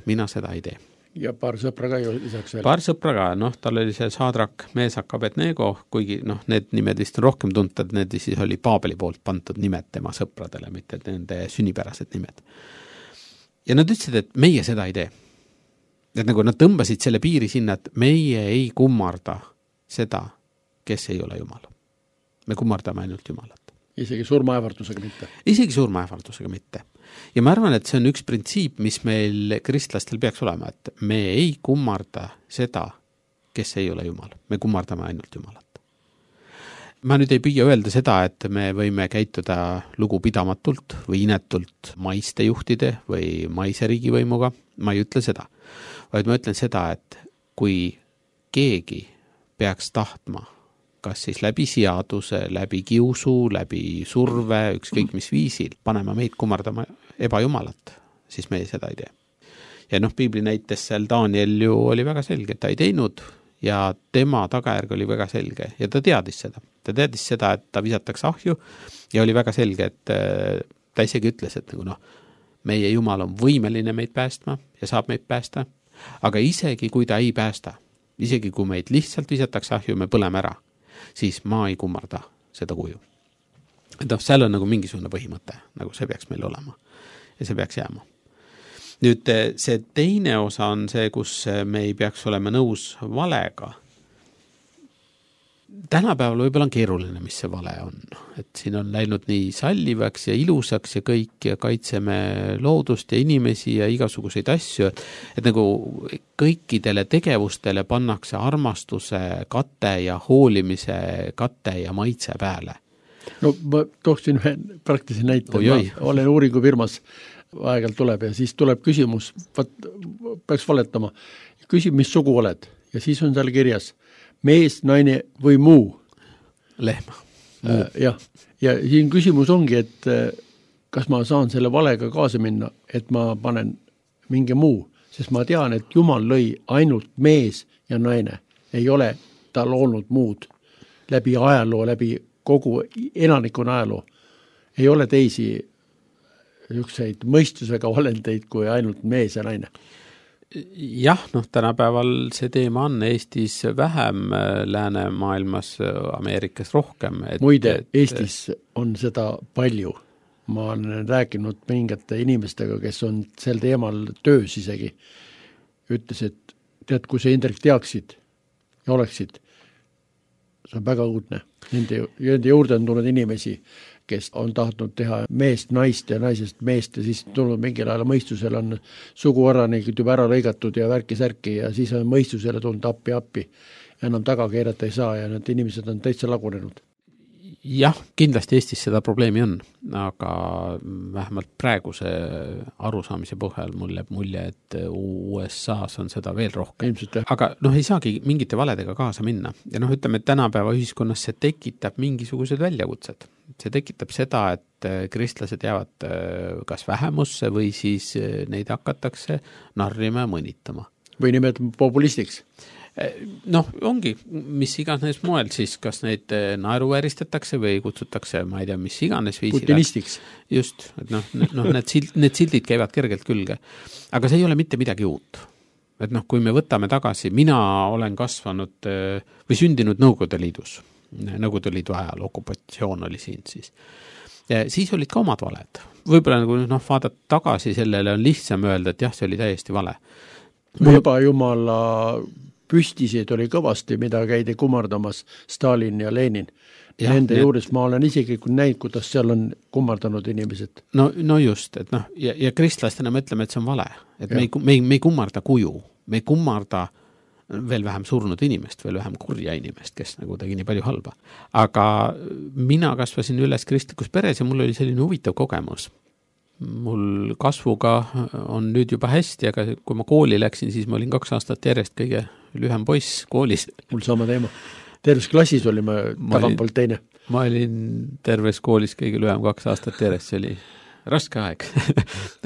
mina seda ei tee. Ja paar sõpra ka ju lisaks veel. Paar sõpra ka, tal oli see Saadrak, Meesak, Abednego, kuigi need nimed vist on rohkem tuntad, need siis oli Paabeli poolt pandud nimed tema sõpradele, mitte nende sünnipärased nimed. Ja nad ütlesid, et meie seda ei tee. Et nad tõmbasid selle piiri sinna, et meie ei kummarda seda, kes ei ole Jumal. Me kummardame ainult Jumalat. Isegi surmaähvardusega mitte. Isegi surmaähvardusega mitte. Ja ma arvan, et see on üks printsiip, mis meil kristlastel peaks olema, et me ei kummarda seda, kes ei ole Jumal. Me kummardame ainult Jumalat. Ma nüüd ei püüa öelda seda, et me võime käituda lugupidamatult või inetult maiste juhtide või maise riigivõimuga. Ma ei ütle seda. Vaid ma ütlen seda, et kui keegi peaks tahtma kas siis läbi seaduse, läbi kiusu, läbi surve, ükskõik mis viisil, panema meid kummardama ebajumalat, siis me seda ei tee. ja piibli näites seal Daniel ju oli väga selge, et ta ei teinud ja tema tagajärg oli väga selge ja ta teadis seda. Ta teadis seda, et ta visatakse ahju ja oli väga selge, et ta isegi ütles, et meie Jumal on võimeline meid päästma ja saab meid päästa, aga isegi kui ta ei päästa, isegi kui meid lihtsalt visatakse ahju, me põleme ära, siis ma ei kummarda seda kuju. Et seal on mingisugune põhimõte, see peaks meil olema ja see peaks jääma. Nüüd see teine osa on see, kus me ei peaks olema nõus valega. Tänapäeval võib-olla on keeruline, mis see vale on. Et siin on läinud nii sallivaks ja ilusaks ja kõik ja kaitseme loodust ja inimesi ja igasuguseid asju, et kõikidele tegevustele pannakse armastuse kate ja hoolimise kate ja maitse peale. No ma tooksin ühe praktilise näite. Ma olen uuringufirmas, aegalt tuleb ja siis tuleb küsimus, peaks valetama, küsib, mis sugu oled ja siis on seal kirjas mees, naine või muu. Lehma. Ja siin küsimus ongi, et kas ma saan selle valega kaasa minna, et ma panen mingi muu, sest ma tean, et Jumal lõi ainult mees ja naine. Ei ole ta loonud muud läbi ajaloo, läbi kogu elanikuna ajaloo. Ei ole teisi ükseid mõistusega olendeid kui ainult mees ja naine. Jah, tänapäeval see teema on Eestis vähem, läänemaailmas, Ameerikas rohkem. Muide, Eestis on seda palju. Ma olen rääkinud mingite inimestega, kes on sel teemal töös isegi. Ütles, et tead, kui sa Indrek teaksid ja oleksid, see on väga uudne. Nende juurde on tulnud inimesi, kes on tahtnud teha meest naist ja naisest meest ja siis tulnud mingil ajal mõistusel on suguoranikud juba ära lõigatud ja värki-särki ja siis on mõistusele tulnud appi. Enam taga keerata ei saa ja need inimesed on täitsa lagunenud. Jah, kindlasti Eestis seda probleemi on, aga vähemalt praeguse arusaamise põhjal mul jääb mulje, et USAs on seda veel rohkem. Ilmselt, aga ei saagi mingite valedega kaasa minna. Ja ütleme, et tänapäeva ühiskonnas see tekitab mingisugused väljakutsed. See tekitab seda, et kristlased jäävad kas vähemusse või siis neid hakatakse narrima ja mõnitama. Või nimetama populistiks. Ongi, mis iganes moel siis, kas neid naeruvääristatakse või kutsutakse, ma ei tea, mis iganes viisil. Putinistiks. Just, et need sildid käivad kergelt külge. Aga see ei ole mitte midagi uut. Et kui me võtame tagasi, mina olen kasvanud või sündinud Nõukogude Liidus. Nõukogude Liidu ajal, okupatsioon oli siin siis. Ja siis olid ka omad valed. Võib-olla vaadata tagasi sellele on lihtsam öelda, et jah, see oli täiesti vale. Ebajumala püstisid oli kõvasti, mida käidi kummardamas Stalin ja Lenin. Nende juures ma olen isegi näinud, kuidas seal on kummardanud inimesed. No just, et ja kristlastena me ütleme, et see on vale. Et me ei kummarda kuju, me ei kummarda veel vähem surnud inimest, veel vähem kurja inimest, kes tegi nii palju halba. Aga mina kasvasin üles kristlikus peres ja mul oli selline huvitav kogemus. Mul kasvuga on nüüd juba hästi, aga kui ma kooli läksin, siis ma olin 2 aastat järjest kõige lühem poiss koolis. Mul sama teema. Terves klassis oli ma tagantpoolt teine. Ma olin terves koolis kõige lühem 2 aastat järjest, see oli raske aeg,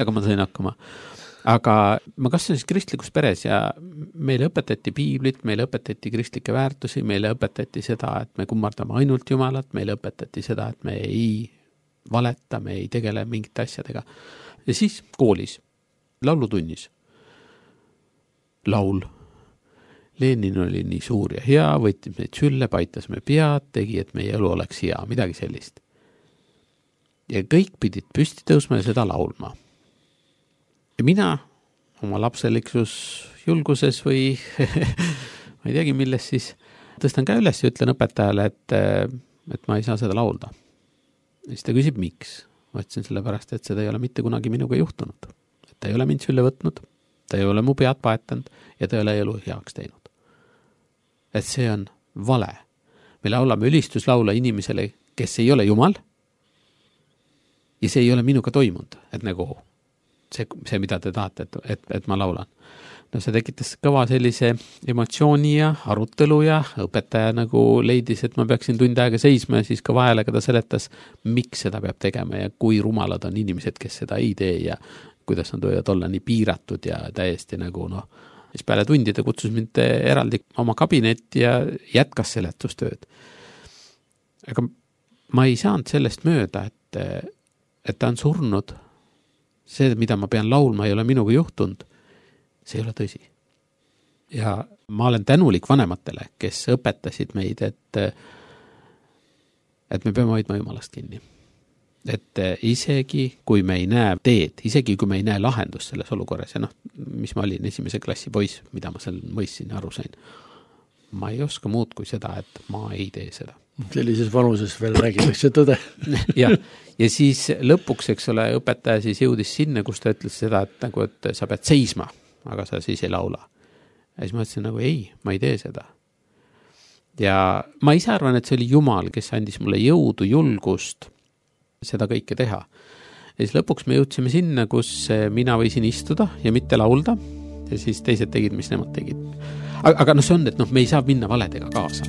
aga ma sain hakkama. Aga ma kasvasin kristlikus peres ja meile õpetati piiblit, meile õpetati kristlikke väärtusi, meile õpetati seda, et me kummardame ainult Jumalat, meile õpetati seda, et me ei valeta, me ei tegele mingite asjadega. Ja siis koolis, laulutunnis. Laul. Lenin oli nii suur ja hea, võttis meid sülle, paitas me pead, tegi, et meie elu oleks hea, midagi sellist. Ja kõik pidid püsti tõusma ja seda laulma. Ja mina oma lapseliksus julguses või ma ei teagi, milles siis tõstan käe üles ja ütlen õpetajale, et ma ei saa seda laulda. Ja siis ta küsib, miks? Ma ütlesin sellepärast, et seda ei ole mitte kunagi minuga juhtunud. Et ta ei ole mind sülle võtnud, ta ei ole mu pead paetanud ja ta ei ole elu heaks teinud. Et see on vale. Me laulame ülistuslaula inimesele, kes ei ole Jumal ja see ei ole minuga toimunud. Et see mida te tahate, et ma laulan. See tekitas kõva sellise emotsiooni ja arutelu ja õpetaja leidis, et ma peaksin tund aega seisma ja siis ka vahelega ta seletas, miks seda peab tegema ja kui rumalad on inimesed, kes seda ei tee ja kuidas nad võivad olla nii piiratud ja täiesti nagu siis peale tundide kutsus mind eraldi oma kabinetti ja jätkas seletustööd. Aga ma ei saanud sellest mööda, et ta on surnud. See, mida ma pean laulma, ei ole minuga juhtunud. See ei ole tõsi. Ja ma olen tänulik vanematele, kes õpetasid meid, et me peame hoidma Jumalast kinni. Et isegi kui me ei näe teed, isegi kui me ei näe lahendust selles olukorras ja mis ma olin esimese klassi poiss, mida ma seal mõistsin ja aru sain, ma ei oska muud kui seda, et ma ei tee seda. Sellises vanuses veel räägitakse tõde. ja siis lõpuks, eks ole, õpetaja siis jõudis sinna, kus ta ütles seda, et sa pead seisma, aga sa siis ei laula. Ja siis ma ütlesin ei, ma ei tee seda. Ja ma ise arvan, et see oli Jumal, kes andis mulle jõudu, julgust seda kõike teha. Ja siis lõpuks me jõudsime sinna, kus mina võisin istuda ja mitte laulda ja siis teised tegid, mis nemad tegid. Aga see on, et me ei saa minna valedega kaasa.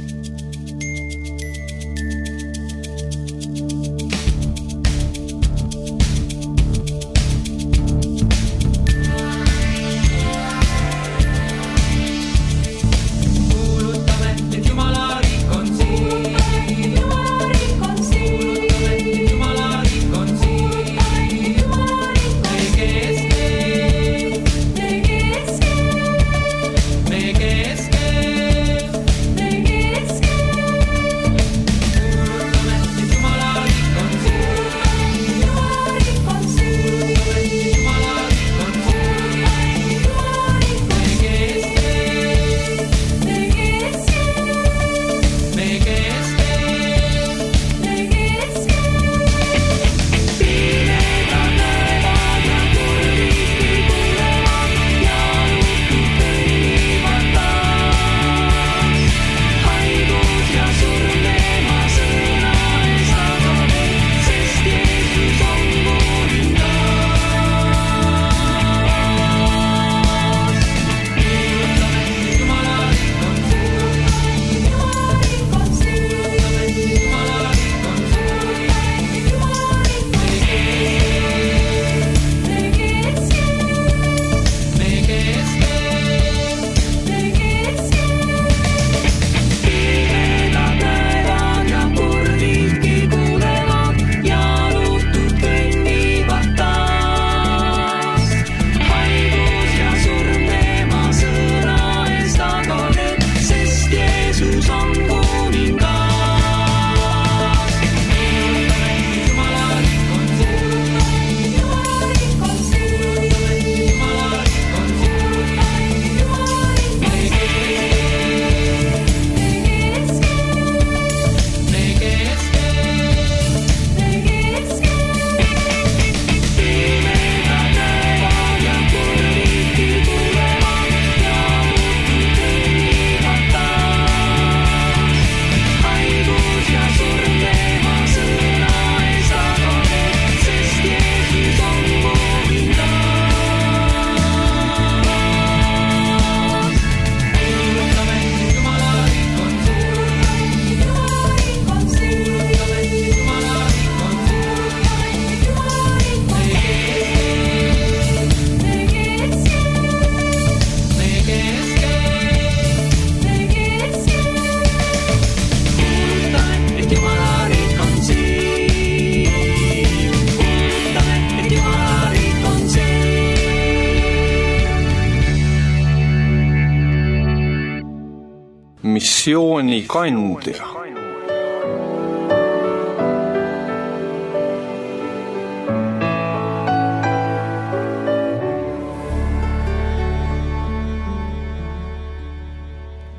missioonikandja.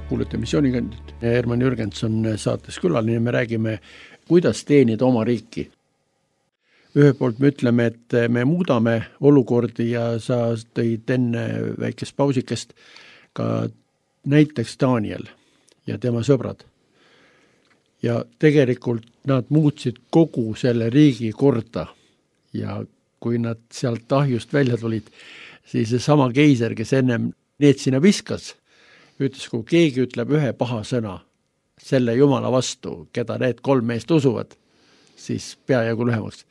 Kuulete missioonikandjat. Herman Jürgenson saates külaline, me räägime, kuidas teenida oma riiki. Ühelt poolt me ütleme, et me muudame olukordi ja sa tõid enne väikest pausikest ka näiteks Daniel ja tema sõbrad. Ja tegelikult nad muutsid kogu selle riigi korda ja kui nad sealt ahjust välja tulid, siis see sama keiser, kes ennem need sinna viskas, ütles, kui keegi ütleb ühe paha sõna selle Jumala vastu, keda need 3 meest usuvad, siis peajagu lühemaks.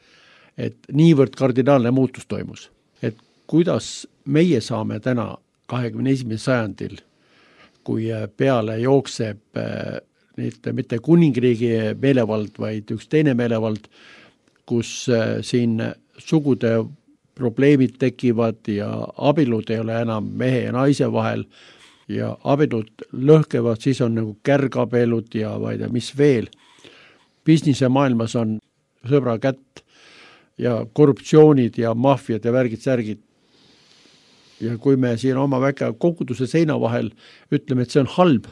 Et niivõrd kardinaalne muutus toimus. Et kuidas meie saame täna 21. sajandil, kui peale jookseb mitte kuningriigi meelevald, vaid üks teine meelevald, kus siin sugude probleemid tekivad ja abielud ei ole enam mehe ja naise vahel ja abielud lõhkevad, siis on nagu kärgabielud ja ma ei tea, mis veel. Businesse maailmas on sõbra kätt ja korruptsioonid ja maffiad ja värgid-särgid. Ja kui me siin oma väga koguduse seina vahel ütleme, et see on halb,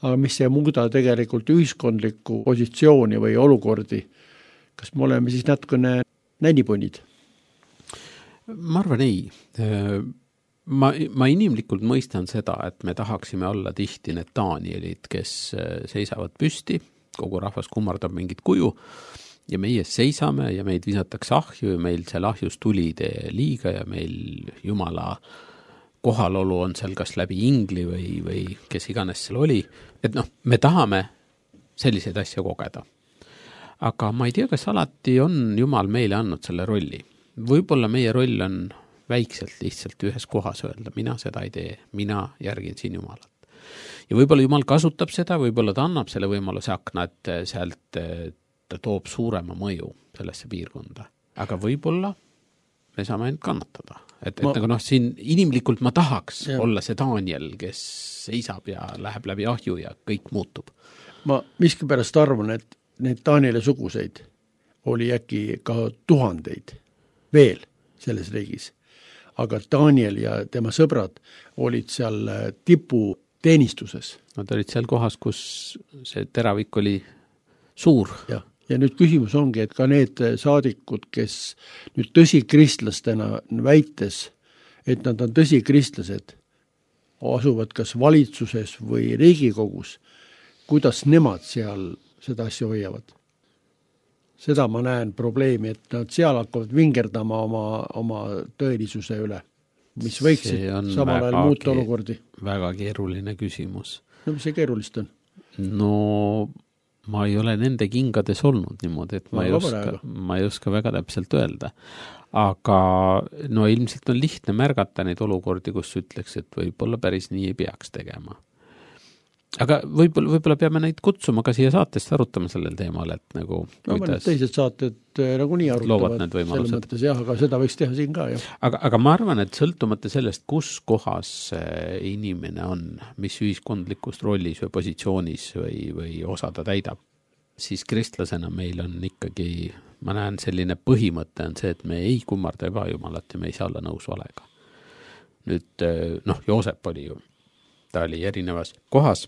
aga mis ei muuda tegelikult ühiskondlikku positsiooni või olukordi, kas me oleme siis natukene nännipunid? Ma arvan ei. Ma inimlikult mõistan seda, et me tahaksime olla tihti need Danielid, kes seisavad püsti, kogu rahvas kummardab mingit kuju ja meie seisame ja meid visatakse ahju ja meil seal ahjus tuli tee liiga ja meil Jumala kohalolu on seal kas läbi ingli või kes iganes seal oli. Et me tahame selliseid asju kogeda. Aga ma ei tea, kas alati on Jumal meile andnud selle rolli. Võib-olla meie roll on väikselt lihtsalt ühes kohas öelda, mina seda ei tee, mina järgin siin Jumalat. Ja võib-olla Jumal kasutab seda, võib-olla ta annab selle võimaluse akna, et sealt ta toob suurema mõju sellesse piirkonda. Aga võib-olla me saame ainult kannatada. Et nagu siin inimlikult ma tahaks olla see Daniel, kes seisab ja läheb läbi ahju ja kõik muutub. Ma miskipärast arvan, et need Danieli suguseid oli äkki ka tuhandeid veel selles riigis. Aga Daniel ja tema sõbrad olid seal tipu teenistuses. Nad olid seal kohas, kus see teravik oli suur. Ja nüüd küsimus ongi, et ka need saadikud, kes nüüd tõsikristlastena väites, et nad on tõsikristlased, asuvad kas valitsuses või Riigikogus, kuidas nemad seal seda asja hoiavad. Seda ma näen probleemi, et nad seal hakkavad vingerdama oma tõelisuse üle, mis võiksid samal ajal muuta olukordi. Väga keeruline küsimus. No mis see keerulist on? No ma ei ole nende kingades olnud niimoodi, et ma ei oska väga täpselt öelda. Aga ilmselt on lihtne märgata neid olukordi, kus ütleks, et võib-olla päris nii ei peaks tegema. Aga võib-olla peame neid kutsuma ka siia saatest arutama sellel teemal, et nagu kuidas teised saated nagu nii arutavad selles mõttes, aga seda võiks teha siin ka. Aga ma arvan, et sõltumata sellest, kus kohas inimene on, mis ühiskondlikust rollis või positsioonis või osa ta täidab, siis kristlasena meil on ikkagi, ma näen selline põhimõte on see, et me ei kummarda ebajumalat ja me ei saa olla nõus valega. Nüüd, Joosep oli ju, ta oli erinevas kohas,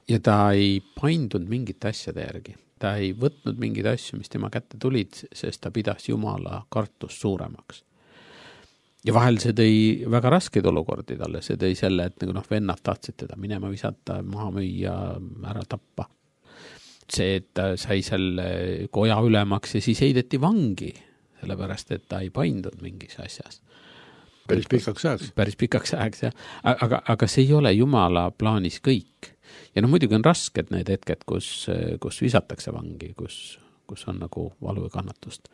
ja ta ei paindunud mingite asjade järgi. Ta ei võtnud mingeid asju, mis tema kätte tulid, sest ta pidas Jumala kartust suuremaks. Ja vahel see tõi väga raskeid olukordi talle. See tõi selle, et vennad tahtsid teda minema visata, maha müüa, ära tappa. See, et ta sai selle koja ülemaks ja siis heideti vangi, sellepärast, et ta ei paindunud mingis asjas. Päris pikaks ajaks, jah. Aga see ei ole Jumala plaanis kõik. Ja muidugi on rasked need hetked, kus visatakse vangi, kus on nagu valu ja kannatust.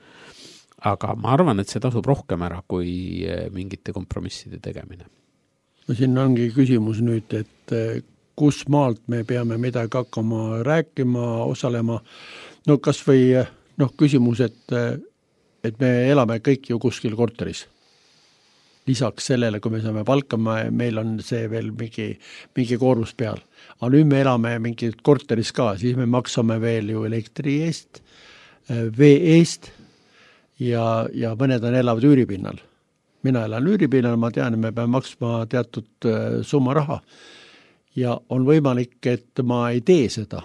Aga ma arvan, et see tasub rohkem ära kui mingite kompromisside tegemine. Siin ongi küsimus nüüd, et kus maalt me peame midagi hakkama rääkima, osalema. Kas või küsimus, et me elame kõik ju kuskil korteris. Lisaks sellele, kui me saame palkama, meil on see veel mingi koormus peal. Aga nüüd me elame mingit korteris ka, siis me maksame veel ju elektri eest, vee eest ja mõned elavad üüripinnal. Mina elan üüripinnal, ma tean, et me peame maksma teatud summa raha. Ja on võimalik, et ma ei tee seda.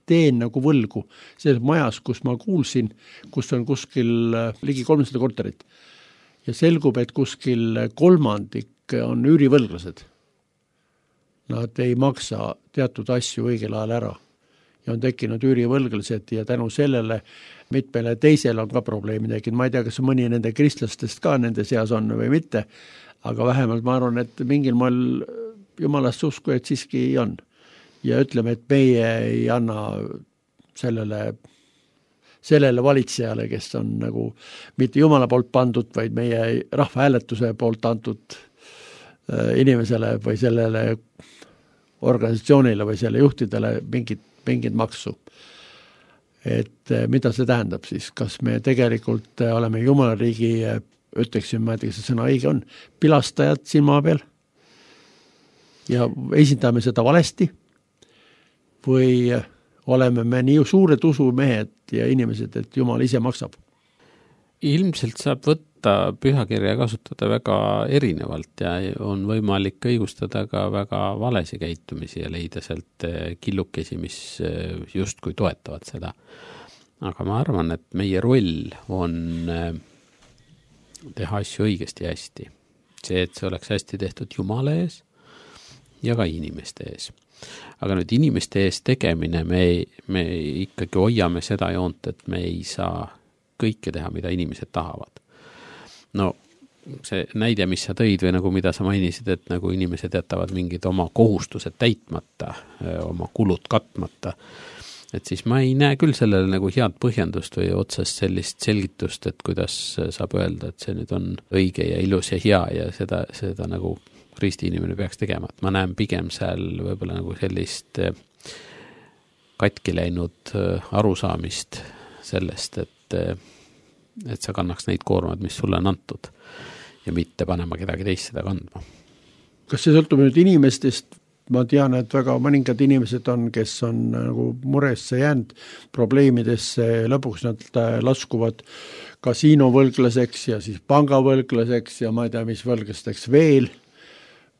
Teen nagu võlgu. Selles majas, kus ma kuulsin, kus on kuskil ligi 300 korterit. Ja selgub, et kuskil kolmandik on üürivõlglased. Nad ei maksa teatud asju õigel ajal ära. Ja on tekkinud üürivõlglased ja tänu sellele mitmele teisel on ka probleemi tekkinud. Ma ei tea, kas mõni nende kristlastest ka nende seas on või mitte, aga vähemalt ma arvan, et mingil moel Jumalast usku, et siiski on. Ja ütleme, et meie ei anna sellele sellele valitsejale, kes on nagu mitte Jumala poolt pandud, vaid meie rahvahääletuse poolt antud inimesele või sellele organisatsioonile või selle juhtidele mingit maksu. Et mida see tähendab siis, kas me tegelikult oleme Jumala riigi, ütleksin, ma ei tea, kas see sõna õige on, pilastajad siin maa peal ja esindame seda valesti või oleme me nii suured usumehed ja inimesed, et Jumal ise maksab? Ilmselt saab võtta pühakirja kasutada väga erinevalt ja on võimalik õigustada ka väga valesi käitumisi ja leida sealt killukesi, mis justkui toetavad seda. Aga ma arvan, et meie roll on teha asju õigesti ja hästi. See, et see oleks hästi tehtud Jumala ees ja ka inimeste ees. Aga nüüd inimeste ees tegemine, me ikkagi hoiame seda joont, et me ei saa kõike teha, mida inimesed tahavad. No see näide, mis sa tõid või nagu mida sa mainisid, et nagu inimesed jätavad mingid oma kohustused täitmata, oma kulud katmata, et siis ma ei näe küll sellele nagu head põhjendust või otsest sellist selgitust, et kuidas saab öelda, et see nüüd on õige ja ilus ja hea ja seda nagu risti inimene peaks tegema. Et ma näen pigem seal võib-olla nagu sellist katki läinud arusaamist sellest, et sa kannaks neid koormad, mis sulle on antud ja mitte panema kedagi teist seda kandma. Kas see sõltub nüüd inimestest? Ma tean, et väga mõningad inimesed on, kes on nagu muresse jäänud probleemidesse, lõpuks nad laskuvad kasiinovõlglaseks ja siis pangavõlglaseks ja ma ei tea, mis võlglasteks veel,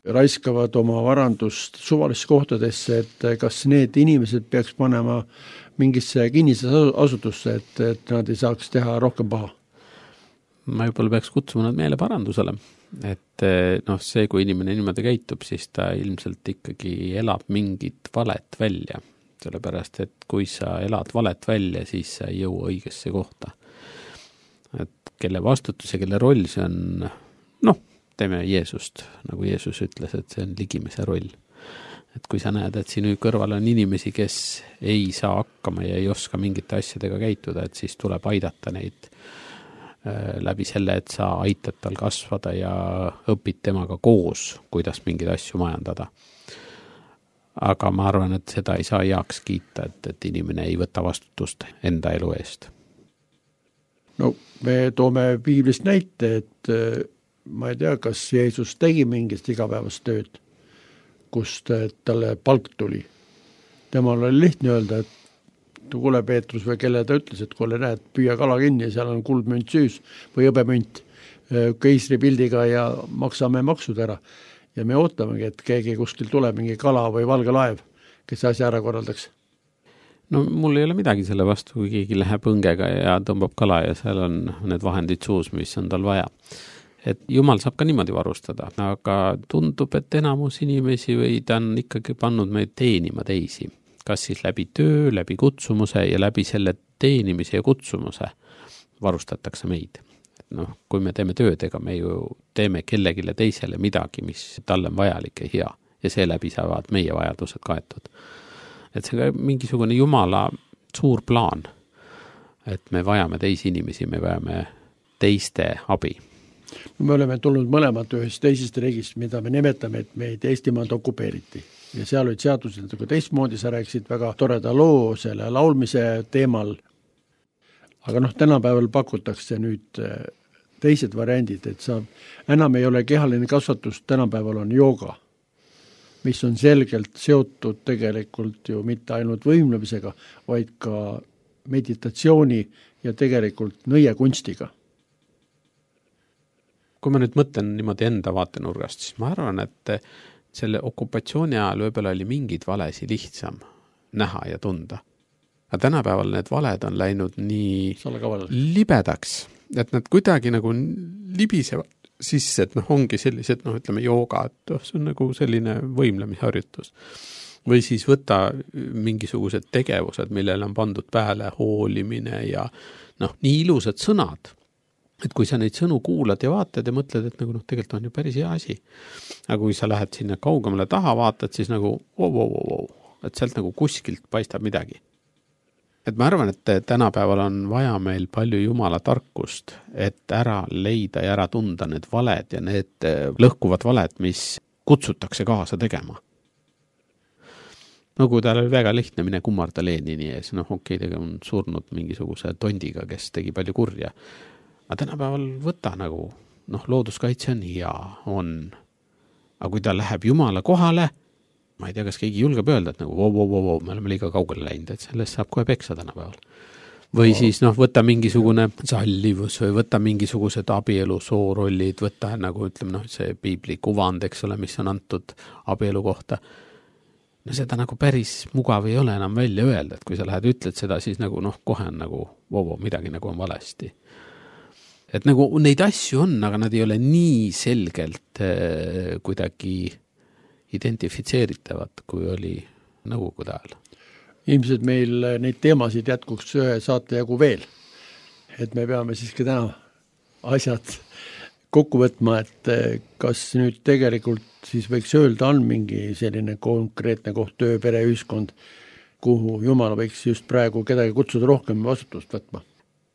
raiskavad oma varandust suvalisse kohtadesse, et kas need inimesed peaks panema mingisse kinnisasutusse, et nad ei saaks teha rohkem paha? Ma juba peaks kutsuma nad meele parandusele, et see, kui inimene niimoodi käitub, siis ta ilmselt ikkagi elab mingit valet välja, sellepärast, et kui sa elad valet välja, siis sa ei jõua õigesse kohta. Et kelle vastutus ja kelle roll see on, teeme Jeesust, nagu Jeesus ütles, et see on ligimese roll. Et kui sa näed, et sinu kõrval on inimesi, kes ei saa hakkama ja ei oska mingite asjadega käituda, et siis tuleb aidata neid läbi selle, et sa aitad tal kasvada ja õpid temaga koos, kuidas mingeid asju majandada. Aga ma arvan, et seda ei saa heaks kiita, et inimene ei võta vastutust enda elu eest. No me toome piiblist näite, et ma ei tea, kas Jeesus tegi mingist igapäevast tööd, kust talle palk tuli. Temal oli lihtne öelda, et kuule Peetrus või kelle ta ütles, et kuule näed, püüa kala kinni, seal on kuldmünt süüs või hõbemünt keisri pildiga ja maksame maksud ära. Ja me ootamegi, et keegi kuskil tuleb mingi kala või valge laev, kes asja ära korraldaks. No mul ei ole midagi selle vastu, kui keegi läheb õngega ja tõmbab kala ja seal on need vahendid suus, mis on tal vaja. Et Jumal saab ka niimoodi varustada, aga tundub, et enamus inimesi või ta on ikkagi pannud meid teenima teisi. Kas siis läbi töö, läbi kutsumuse ja läbi selle teenimise ja kutsumuse varustatakse meid. Kui me teeme tööd, ega me ju teeme kellegile teisele midagi, mis talle on vajalik ja hea ja seeläbi saavad meie vajadused kaetud. Et see on mingisugune Jumala suur plaan, et me vajame teisi inimesi, me vajame teiste abi. Me oleme tulnud mõlemad ühest teisest riigist, mida me nimetame, et meid Eestimaalt okupeeriti. Ja seal olid seadused nagu teistmoodi, sa rääkisid väga toreda loo selle laulmise teemal. Aga tänapäeval pakutakse nüüd teised variandid, et enam ei ole kehaline kasvatus, tänapäeval on jooga, mis on selgelt seotud tegelikult ju mitte ainult võimlemisega, vaid ka meditatsiooni ja tegelikult nõiekunstiga. Kui ma nüüd mõtlen niimoodi enda vaatenurgast, siis ma arvan, et selle okupatsiooni ajal võib-olla oli mingid valesi lihtsam näha ja tunda. Aga tänapäeval need valed on läinud nii libedaks, et nad kuidagi nagu libisevad sisse, et ongi sellised, ütleme jooga, et see on nagu selline võimlemisharjutus. Või siis võtta mingisugused tegevused, millele on pandud pääle hoolimine ja nii ilusad sõnad. Et kui sa neid sõnu kuulad ja vaatad ja mõtled, et tegelikult on ju päris hea asi. Aga kui sa lähed sinna kaugemale taha vaatad, siis et sealt kuskilt paistab midagi. Et ma arvan, et tänapäeval on vaja meil palju jumala tarkust, et ära leida ja ära tunda need valed ja need lõhkuvad valed, mis kutsutakse kaasa tegema. No kui tal oli väga lihtne mine kummarda Lenini ees, tega on surnud mingisuguse tondiga, kes tegi palju kurja. Aga tänapäeval võta nagu, looduskaitse on hea, on. Aga kui ta läheb jumala kohale, ma ei tea, kas keegi julgeb öelda, et nagu me oleme liiga kaugele läinud, et sellest saab kohe peksa tänapäeval. Või siis võtta mingisugune sallivus või võtta mingisugused abielu soorollid, võtta nagu ütleme, see piibli kuvand, eks ole, mis on antud abielu kohta. No seda nagu päris mugav ei ole enam välja öelda, et kui sa lähed ütled seda, siis nagu kohe on nagu midagi nagu on valesti. Et nagu neid asju on, aga nad ei ole nii selgelt kuidagi identifitseeritavad, kui oli nõukogude ajal. Ilmselt meil neid teemasid jätkuks ühe saate jagu veel. Et me peame siiski täna asjad kokku võtma, et kas nüüd tegelikult siis võiks öelda, on mingi selline konkreetne koht, töö, pere, ühiskond, kuhu Jumal võiks just praegu kedagi kutsuda rohkem vastutust võtma?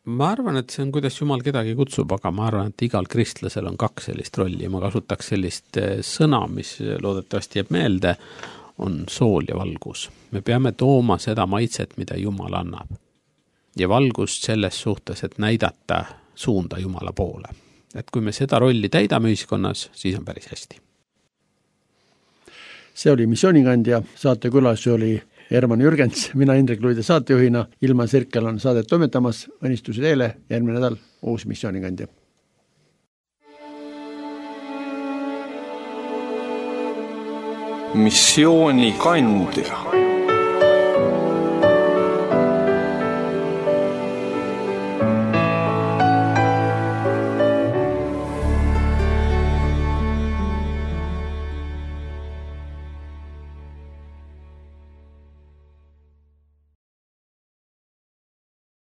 Ma arvan, et see on, kuidas Jumal kedagi kutsub, aga ma arvan, et igal kristlasel on 2 sellist rolli. Ma kasutaks sellist sõna, mis loodetavasti jääb meelde, on sool ja valgus. Me peame tooma seda maitset, mida Jumal annab. Ja valgust selles suhtes, et näidata suunda Jumala poole. Et kui me seda rolli täidame ühiskonnas, siis on päris hästi. See oli Missioonikandja, saate külas oli Herman Jürgens, mina Indrek Luide saatejuhina, Ilma Sirkel on saadet toimetamas, õnnistusi teile, järgmine nädal uus Missioonikandja. Missioonikandja.